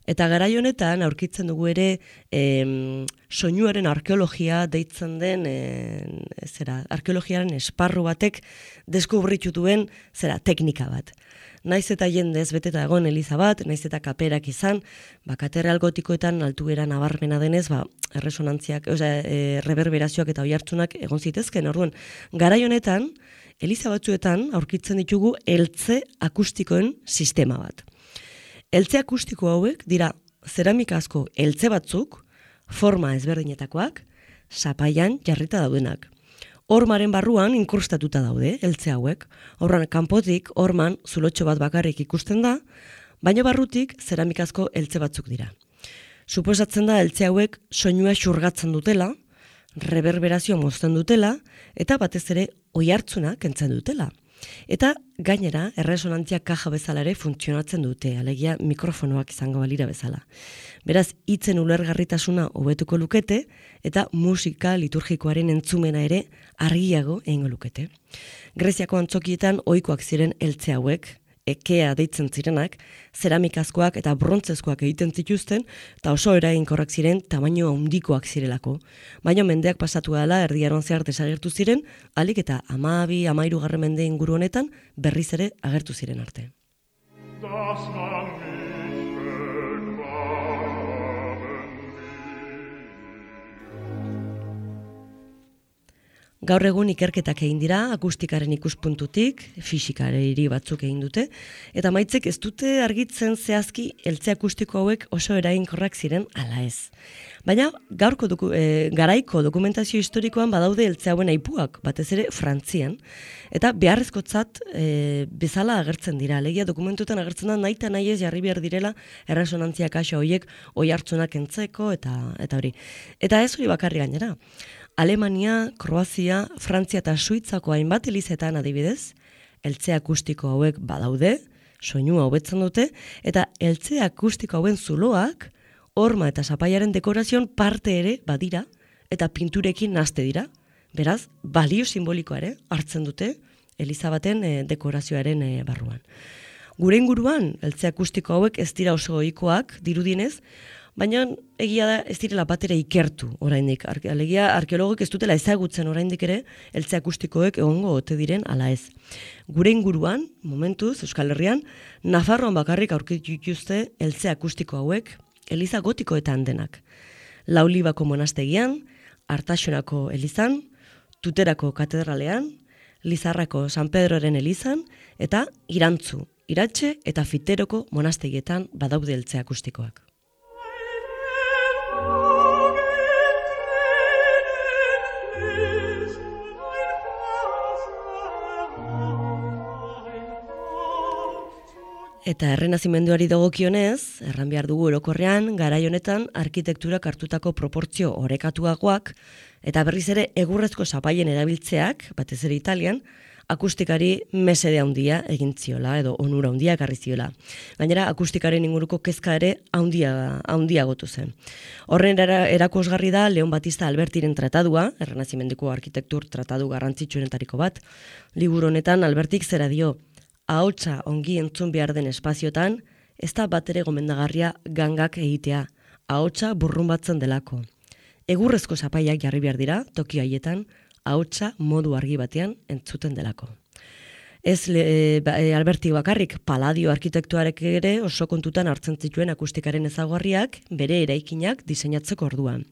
Eta garai honetan aurkitzen dugu ere em, soinuaren arkeologia deitzen den e, zera, arkeologiaren esparru batek deskubritu duen zera teknika bat. Naiz eta jendez beteta egon eliza bat, naiz eta kaperak izan, ba, katedral gotikoetan altuera nabarmena denez, ba, erresonantziak, osea, e, reverberazioak eta oihartzunak egon zitezken. Orduan, garai honetan, eliza batzuetan aurkitzen ditugu eltze akustikoen sistema bat. Eltze akustiko hauek dira zeramikazko eltze batzuk, forma ezberdinetakoak, zapaian jarrita daudenak. Hormaren barruan inkrustatuta daude, eltze hauek. Horran kanpotik, horman, zulotxo bat bakarrik ikusten da, baina barrutik zeramikazko eltze batzuk dira. Suposatzen da eltze hauek soinua xurgatzen dutela, reverberazioa mozten dutela, eta batez ere oihartzuna kentzen dutela. Eta gainera, erresonantzia kaja bezala ere funtzionatzen dute, alegia mikrofonoak izango balira bezala. Beraz, hitzen ulergarritasuna hobetuko lukete, eta musika liturgikoaren entzumena ere argiago egingo lukete. Greziako antzokietan ohikoak ziren eltze hauek, ekea deitzen zirenak, zeramikazkoak eta brontzezkoak egiten zituzten, eta oso eraginkorrak ziren tamaino handikoak zirelako. Baina mendeak pasatu dela erdiaroan zehar desagertu ziren, alik eta hamabi, hamairu garren mende inguru honetan berriz ere agertu ziren arte. Gaur egun ikerketak egin dira, akustikaren ikuspuntutik, fisikari batzuk egin dute, eta maitzek ez dute argitzen zehazki eltze akustiko hauek oso eraginkorrak ziren ala ez. Baina gaurko doku, e, garaiko dokumentazio historikoan badaude eltze hauen aipuak, batez ere Frantzian, eta beharrezkotzat e, bezala agertzen dira. Alegia dokumentuetan agertzen da nahi eta nahi ez jarri behar direla erresonantzia kaxa horiek oihartzunak entzeko eta eta hori. Eta ez hori bakarri gainera. Alemania, Kroazia, Frantzia eta Suitzako hainbat elizetan adibidez, eltze akustiko hauek badaude, soinua hobetzen dute, eta eltze akustiko hauen zuloak horma eta zapaiaren dekorazioan parte ere badira, eta pinturekin nazte dira. Beraz, balio simbolikoa ere hartzen dute eliza baten e, dekorazioaren e, barruan. Gure inguruan, eltze akustiko hauek ez dira oso ohikoak dirudienez, baina egia da ez direla batera ikertu oraindik. Alegia arkeologok ez dutela ezagutzen oraindik ere eltze akustikoek egongo ote diren ala ez. Gure inguruan, momentuz, Euskal Herrian, Nafarroan bakarrik aurkitu dituzte eltze akustiko hauek eliza gotikoetan denak. Laulibako monastegian, Artaxonako elizan, Tuterako katedralean, Lizarrako San Pedroren elizan, eta Irantzu, Iratxe eta Fiteroko monastegietan badaude eltze akustikoak. Eta errenazimenduari dagokionez, erran behar dugu orokorrean, garai honetan arkitekturak hartutako proportzio orekatuagoak, eta berriz ere egurrezko zapaien erabiltzeak, batez ere Italian, akustikari mesede handia egin ziola, edo onura handia ekarri ziola. Gainera, akustikaren inguruko kezka ere handia, handia gotu zen. Horren erakusgarri da Leon Batista Albertiren tratadua, errenazimenduko arkitektur tratadu garrantzitsuenetariko bat. Liburu honetan Albertik zera dio, ahotsa ongi entzun behar den espaziotan, ez da batere gomendagarria gangak egitea, ahotsa burrunbatzen delako. Egurrezko zapaiak jarri behar dira, toki haietan, ahotsa modu argi batean entzuten delako. Ez le, ba, Alberti bakarrik, Palladio arkitektuarek ere oso kontutan hartzen zituen akustikaren ezaugarriak bere eraikinak diseinatzeko orduan.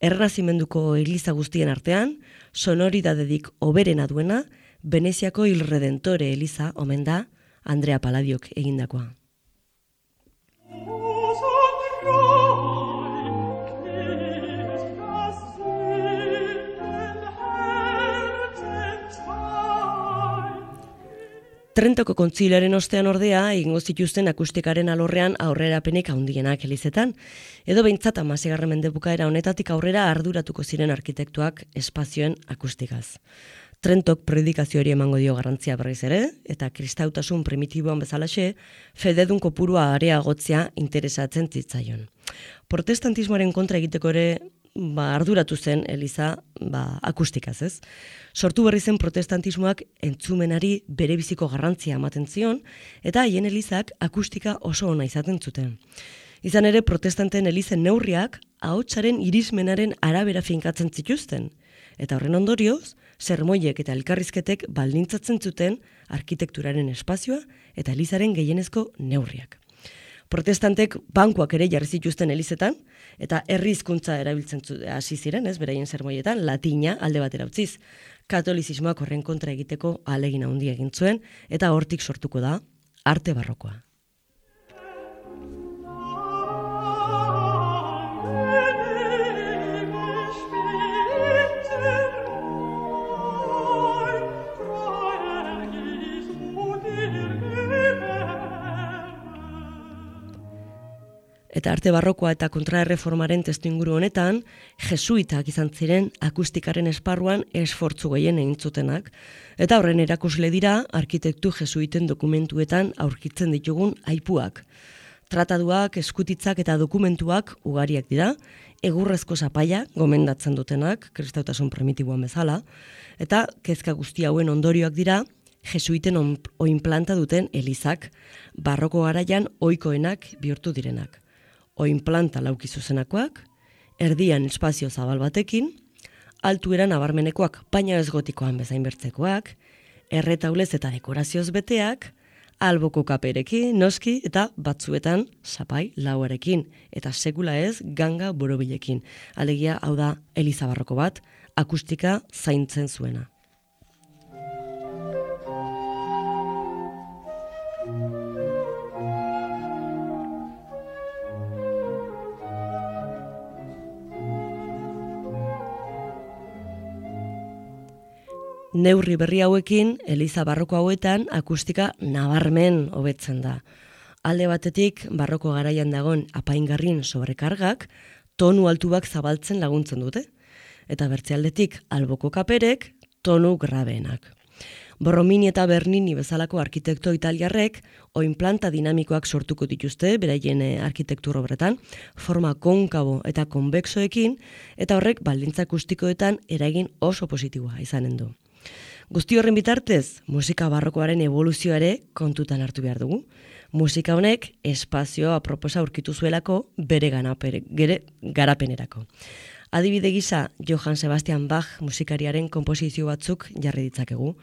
Errenazimenduko eliza guztien artean, sonoridadedik hoberena duena, Veneziako Il Redentore eliza omen da Andrea Palladiok egindakoa. Trentoko kontzilioaren ostean ordea, egingo zituzten akustikaren alorrean aurrerapenik handienak elizetan, edo behintzat hamaseigarren mende bukaera honetatik aurrera arduratuko ziren arkitektuak espazioen akustikaz. Trentok predikazioari emango dio garrantzia berriz ere, eta kristautasun primitiboan bezalaxe, fededun kopurua areagotzea interesatzen zitzaion. Protestantismoaren kontra egiteko ere ba, arduratu zen eliza ba, akustikaz, ez? Sortu berri zen protestantismoak entzumenari bere biziko garrantzia ematen zion, eta haien elizak akustika oso ona izaten zuten. Izan ere, protestanten elizen neurriak ahotsaren irismenaren arabera finkatzen zituzten, eta horren ondorioz, sermoiek eta elkarrizketek baldintzatzen zuten arkitekturaren espazioa eta elizaren gehienezko neurriak. Protestantek bankuak ere jarri zituzten elizetan, eta herri hizkuntza erabiltzen hasi ziren, ez, beraien sermoietan, latina alde batera utziz. Katolizismoak horren kontra egiteko ahalegin handia egin zuen, eta hortik sortuko da arte barrokoa. Eta arte barrokoa eta kontraerreformaren testuinguru honetan, jesuitak izan ziren akustikaren esparruan esfortzu gehien egin zutenak, eta horren erakusle dira arkitektu jesuiten dokumentuetan aurkitzen ditugun aipuak. Trataduak, eskutitzak eta dokumentuak ugariak dira, egurrezko zapaia gomendatzen dutenak, kristautasun primitiboan bezala, eta kezka guzti hauen ondorioak dira, jesuiten oinplanta duten elizak, barroko garaian ohikoenak bihurtu direnak. Oinplanta lauki zuzenakoak, erdian espazio zabal batekin, altuera nabarmenekoak, baina ez gotikoan bezain bertzekoak, erretaulez eta dekorazioz beteak, alboko kaperekin, noski, eta batzuetan zapai lauarekin, eta sekula ez ganga borobilekin. Alegia, hau da, eliza barroko bat, akustika zaintzen zuena. Neurri berri hauekin, eliza barroko hauetan akustika nabarmen hobetzen da. Alde batetik, barroko garaian dagoen apaingarrin sobrekargak, tonu altuak zabaltzen laguntzen dute. Eta bertze aldetik, alboko kaperek, tonu grabeenak. Borromini eta Bernini bezalako arkitekto italiarrek oin planta dinamikoak sortuko dituzte beraien arkitektur obretan, forma konkabo eta konbexoekin, eta horrek baldintza akustikoetan eragin oso positiboa izanen du. Guzti horren bitartez, musika barrokoaren evoluzioa ere kontutan hartu behar dugu. Musika honek espazioa aproposa aurkitu zuelako bere ganapere, gere garapenerako. Adibide gisa, Johann Sebastian Bach musikariaren konposizio batzuk jarri ditzakegu.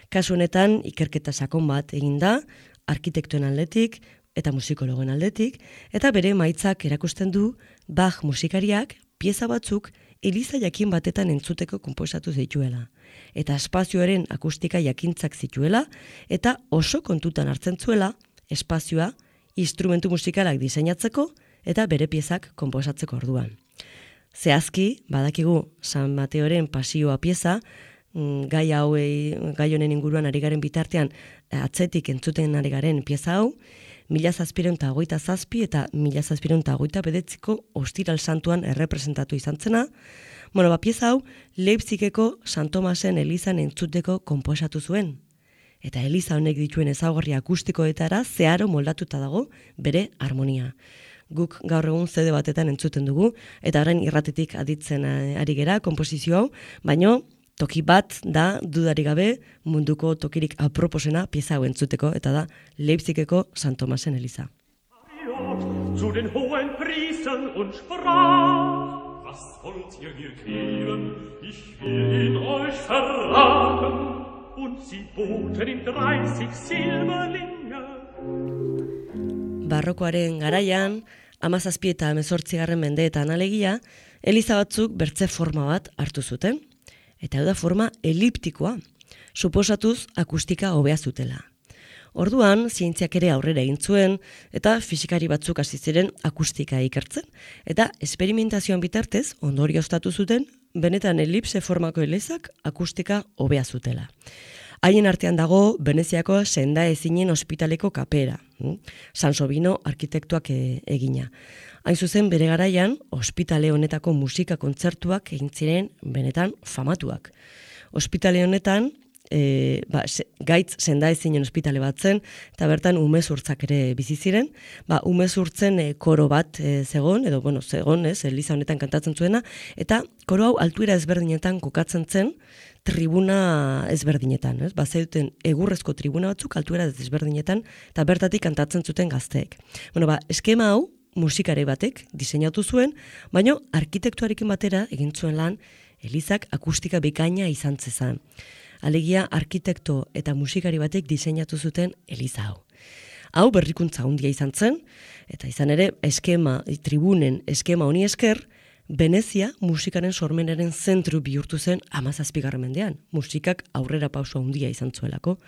Kasu honetan, ikerketa sakon bat egin da, arkitektoen aldetik eta musikologen aldetik, eta bere emaitzak erakusten du Bach musikariak pieza batzuk eliza jakin batetan entzuteko konposatu zituela. Eta espazioaren akustika jakintzak zituela, eta oso kontutan hartzen zuela espazioa instrumentu musikalak diseinatzeko eta bere piezak konposatzeko orduan. Zehazki, badakigu San Mateoren pasioa pieza, gai hauei, gai honen inguruan ari garen bitartean atzetik entzuten ari garen pieza hau, mila zazpireun eta hogeita zazpi eta mila zazpireun eta hogeita bedetziko Ostiral Santuan errepresentatu izan zena. Bueno, ba, pieza hau Leipzigeko San Tomasen elizan entzuteko konposatu zuen. Eta eliza honek dituen ezaugarri akustikoetara zeharo moldatuta dago bere harmonia. Guk gaur egun zede batetan entzuten dugu, eta horren irratetik aditzen ari gera konposizio hau, baino toki bat da dudari gabe munduko tokirik aproposena pieza hau entzuteko, eta da Leipzigeko San Tomasen eliza. Zu den hohen Priestern und sprach, was wollt ihr mir geben? Ich will ihn euch verraten. Und sie boten ihm dreißig Silberlinge. Barrokoaren garaian, hamazazpi eta hemezortzigarren mendeetan alegia, eliza batzuk bertze forma bat hartu zuten. Eta hau da forma eliptikoa, suposatuz akustika hobea zutela. Orduan, zientziak ere aurrera egin zuen, eta fisikari batzuk hasi ziren akustika ikertzen. Eta esperimentazioan bitartez, ondorioztatu zuten, benetan elipse formako elizak akustika hobea zutela. Haien artean dago Veneziako senda ezinen ospitaleko kapera, San Sobino arkitektuak egina. Hain zuzen bere garaian, ospitale honetako musika kontzertuak egin ziren benetan famatuak. Ospitale honetan, E, ba, se, gaitz senda ezinen ospitale bat zen, eta bertan umezurtzak ere bizi ziren. Ba, umezurtzen e, koro bat e, zegon, edo bueno, zegon, ez, eliza honetan kantatzen zuena, eta koro hau altuera ezberdinetan kokatzen zen, tribuna ezberdinetan, ez? Ba, zeuten egurrezko tribuna batzuk altuera ezberdinetan, eta bertatik kantatzen zuten gazteek. Bueno, ba, eskema hau musikare batek diseinatu zuen, baino arkitektuarekin batera egin zuen lan elizak akustika bikaina izan zezan. Alegia arkitekto eta musikari batek diseinatu zuten eliza hau. Hau berrikuntza handia izan zen, eta izan ere eskema, tribunen eskema honi esker, Venezia musikaren sormenaren zentru bihurtu zen hamazazpigarren mendean. Musikak aurrera pauso handia izan zuelako.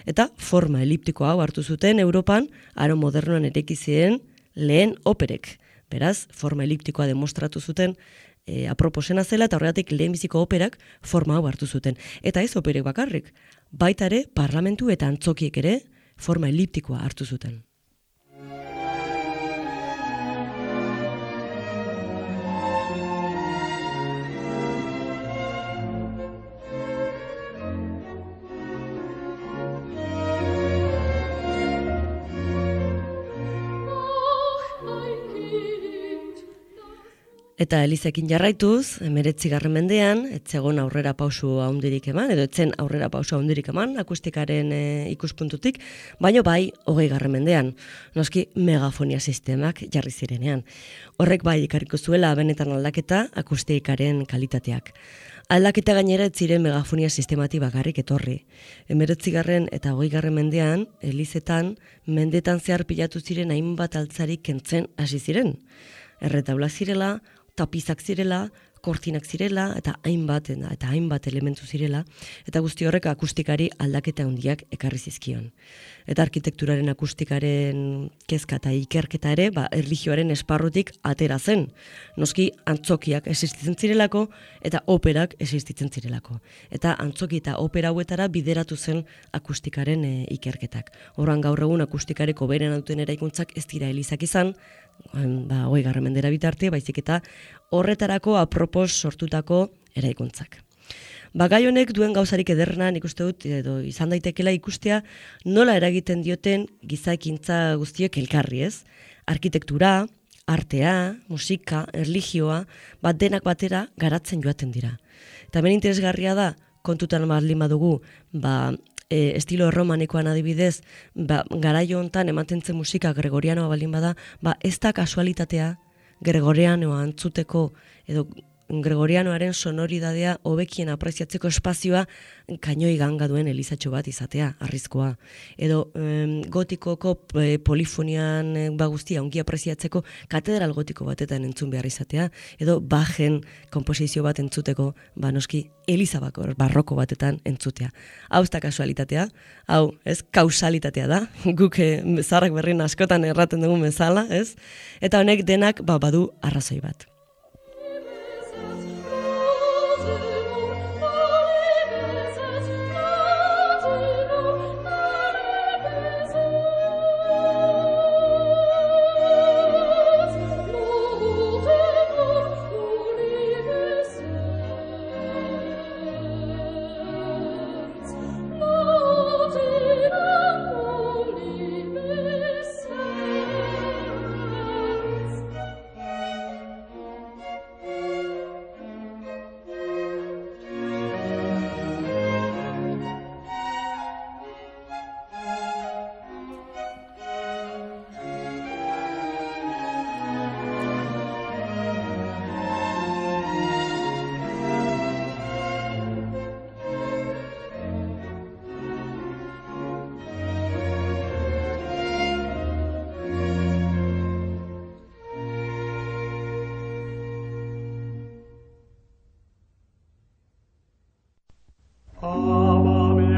Eta forma eliptiko hau hartu zuten Europan, aro modernoan ereki ziren lehen operek. Beraz, forma eliptikoa demostratu zuten E, aproposena zela, eta horregatik lehenbiziko operak forma hau hartu zuten. Eta ez operek bakarrik, baita ere parlamentu eta antzokiek ere forma eliptikoa hartu zuten. Eta elizekin jarraituz, hemeretzigarren mendean, etzegon aurrera pausu handirik eman, edo etzen aurrera pausu handirik eman, akustikaren e, ikuspuntutik, baino bai, hogeigarren mendean, noski megafonia sistemak jarri zirenean. Horrek bai ikarriko zuela benetan aldaketa akustikaren kalitateak. Aldaketa gainera ez ziren megafonia sistemati bakarrik etorri. Hemeretzigarren eta hogeigarren mendean, elizetan, mendetan zehar pilatu ziren hainbat altzarik kentzen hasi ziren. Erretaula zirela, tapizak zirela, kortinak zirela, eta hainbat eta hainbat elementu zirela, eta guzti horrek akustikari aldaketa handiak ekarri zizkion. Eta arkitekturaren akustikaren kezka eta ikerketa ere, ba, erlijioaren esparrutik atera zen. Noski antzokiak existitzen zirelako, eta operak existitzen zirelako. Eta antzoki eta opera hauetara bideratu zen akustikaren e, ikerketak. Horran gaur egun akustikareko beren duten eraikuntzak ez dira elizak izan, ba, hogeigarren mendera bitarte, baizik eta horretarako apropos sortutako eraikuntzak. Ba, gai honek duen gauzarik ederrena nik uste dut, edo izan daitekela ikustea, nola eragiten dioten gizakintza guztiek elkarri, ez? Arkitektura, artea, musika, erlijioa, bat denak batera garatzen joaten dira. Eta hemen interesgarria da, kontutan baldin badugu, ba, e, estilo romanikoan adibidez, ba, garaio hontan ematen zen musika gregorianoa baldin bada, ba, ez da kasualitatea gregorianoa antzuteko, edo gregorianoaren sonoridadea hobekien apreziatzeko espazioa kainoi ganga duen elizatxo bat izatea, arrizkoa. Edo em, gotikoko e, polifonian e, ba guztia ongi apreziatzeko katedral gotiko batetan entzun behar izatea, edo Bachen komposizio bat entzuteko, ba noski Elizabakor barroko batetan entzutea. Hau ez da kasualitatea, hau ez kausalitatea da, guk e, zaharrak berrin askotan erraten dugun bezala, ez? Eta honek denak ba, badu arrazoi bat.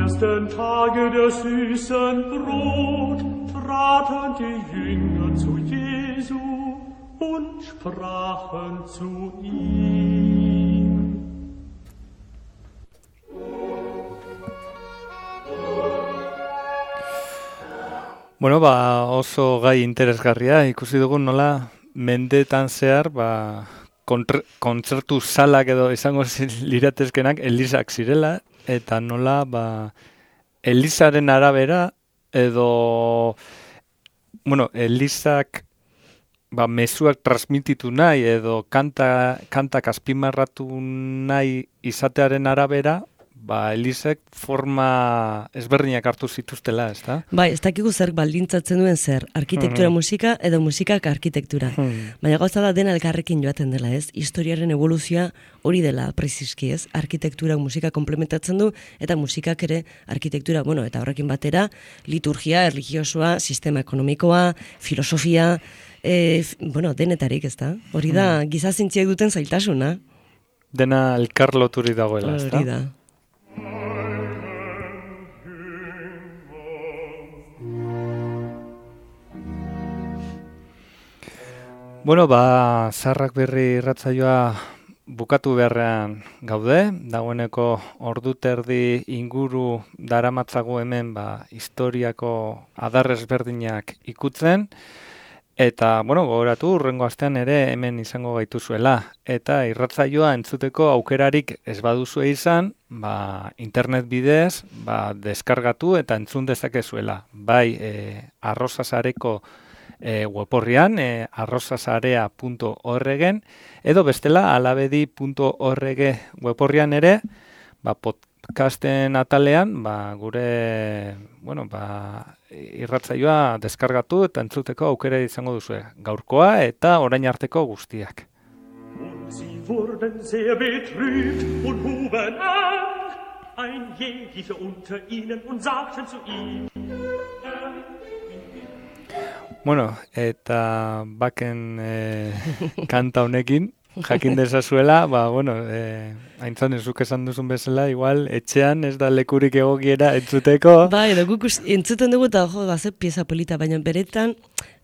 ersten Tage der süßen Brot traten die Jünger zu Jesu und sprachen zu ihm. Bueno, ba, oso gai interesgarria, ikusi dugu nola mendetan zehar, ba, kontzertu salak edo izango liratezkenak elizak zirela, eta nola, ba, elizaren arabera edo, bueno, elizak, ba, mezuak transmititu nahi edo kanta, kantak azpimarratu nahi izatearen arabera, ba, elizek forma ezberdinak hartu zituztela, ez da? Bai, ez dakigu zer baldintzatzen duen zer, arkitektura Mm. musika edo musikak arkitektura. Mm. Baina gauza da dena elkarrekin joaten dela, ez? Historiaren evoluzioa hori dela preziski, ez? Arkitektura musika komplementatzen du eta musikak ere arkitektura, bueno, eta horrekin batera liturgia, erlijiosoa, sistema ekonomikoa, filosofia, e, f- bueno, denetarik, ez da? Hori da, gizazintziak duten zailtasuna. Dena elkar loturi dagoela, ez da? Hori da. Bueno, ba, Zaharrak Berri irratsaioa bukatu beharrean gaude, dagoeneko ordu terdi inguru daramatzagu hemen, ba, historiako adar ezberdinak ikutzen, eta, bueno, gogoratu, hurrengo astean ere hemen izango gaituzuela, eta irratsaioa entzuteko aukerarik ez baduzue izan, ba, internet bidez, ba, deskargatu eta entzun dezakezuela, bai, e, arrozasareko E, weborrian, e, arrozasarea punto org-en, edo bestela alabedi punto org weborrian ere, ba, podcasten atalean, ba, gure, bueno, ba, irratsaioa deskargatu eta entzuteko aukera izango duzue. Gaurkoa eta orain arteko guztiak. Sie wurden sehr betrübt und huben an, ein jeglicher unter ihnen, und sagten zu ihm, Bueno, eta baken e, kanta honekin, jakin dezazuela, ba, bueno, e, haintzan ezuk esan duzun bezala, igual, etxean ez da lekurik egokiera entzuteko. Bai, edo guk us- entzuten dugu eta jo, ba, ze pieza polita, baina beretan,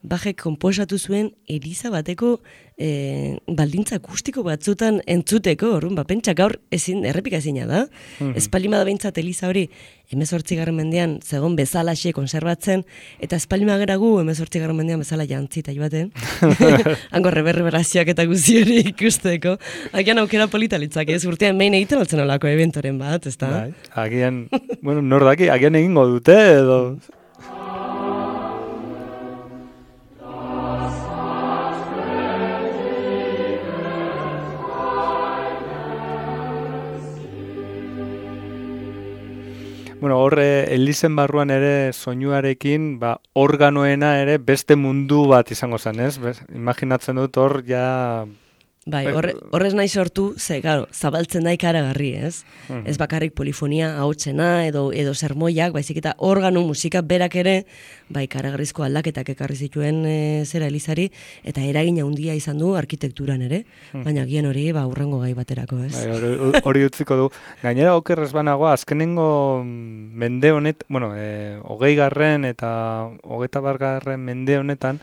Bajek konposatu zuen Eliza bateko e, baldintza akustiko batzutan entzuteko, orrun, ba, pentsa gaur ezin, errepika ezina da. Mhm. Espalima da behintzat Eliza hori, hemezortzigarren mendean zegon bezalaxe konserbatzen, eta espalima gera gu hemezortzigarren mendean bezala jantzita joaten. Hango reverberazioak eta guzi hori ikusteko. Agian aukera polita litzak, ez urtean behin egiten altzen olako eventoren bat, ez da? Bai, agian, bueno, nor daki, agian egingo dute, edo... Bueno, hor, Elizen barruan ere soinuarekin, ba, organoena ere beste mundu bat izango zen, ez? Bez, imaginatzen dut hor, ja... Bai, horre, horrez nahi sortu, ze, claro, zabaltzen da ikaragarri, ez? Mhm. Ez bakarrik polifonia hautsena edo edo sermoiak, baizik eta organo musika berak ere, bai, ikaragarrizko aldaketak ekarri zituen e, zera Elizari, eta eragina handia izan du arkitekturan ere, Mhm. baina gian hori, ba, urrengo gai baterako, ez? Bai, hori, hori utziko du. Gainera, okerrez banago, azkenengo mende honet, bueno, e, hogei garren eta hogeita bargarren mende honetan,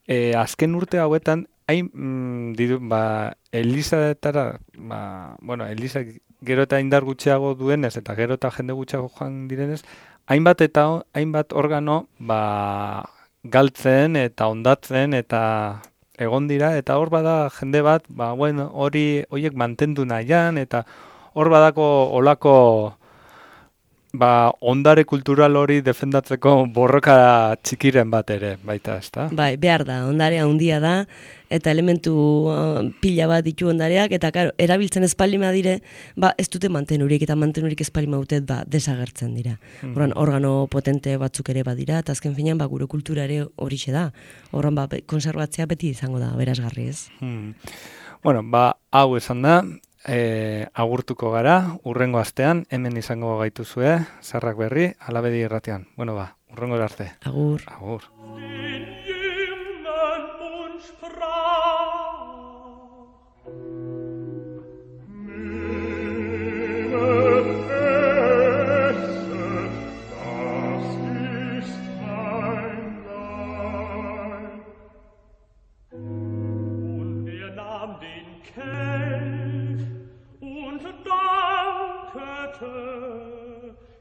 e, azken urte hauetan, hain, mm, diru, ba, Elizatara, ba, bueno, Eliza gero eta indar gutxiago duenez, eta gero eta jende gutxiago joan direnez, hainbat eta hainbat organo, ba, galtzen eta ondatzen eta egon dira, eta hor bada jende bat, ba, bueno, hori, horiek mantendu nahian, eta hor badako olako, ba, ondare kultural hori defendatzeko borroka txikiren bat ere, baita, ezta? Bai, behar da, ondarea handia da, eta elementu uh, pila bat ditu ondareak, eta karo, erabiltzen espalima dire, ba, ez dute mantenurik, eta mantenurik espalima utet, ba, desagertzen dira. Mhm. Horran, organo potente batzuk ere badira, eta azken finean, ba, gure kultura ere horixe da. Horran, ba, konserbatzea beti izango da, berazgarri ez. Hmm. Bueno, ba, hau esan da, e, agurtuko gara, urrengo astean, hemen izango gaituzue, Zarrak Berri, Alabedi irratian. Bueno, ba, urrengo arte. Agur. Agur.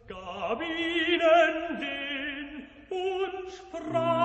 Gab ihnen den und sprach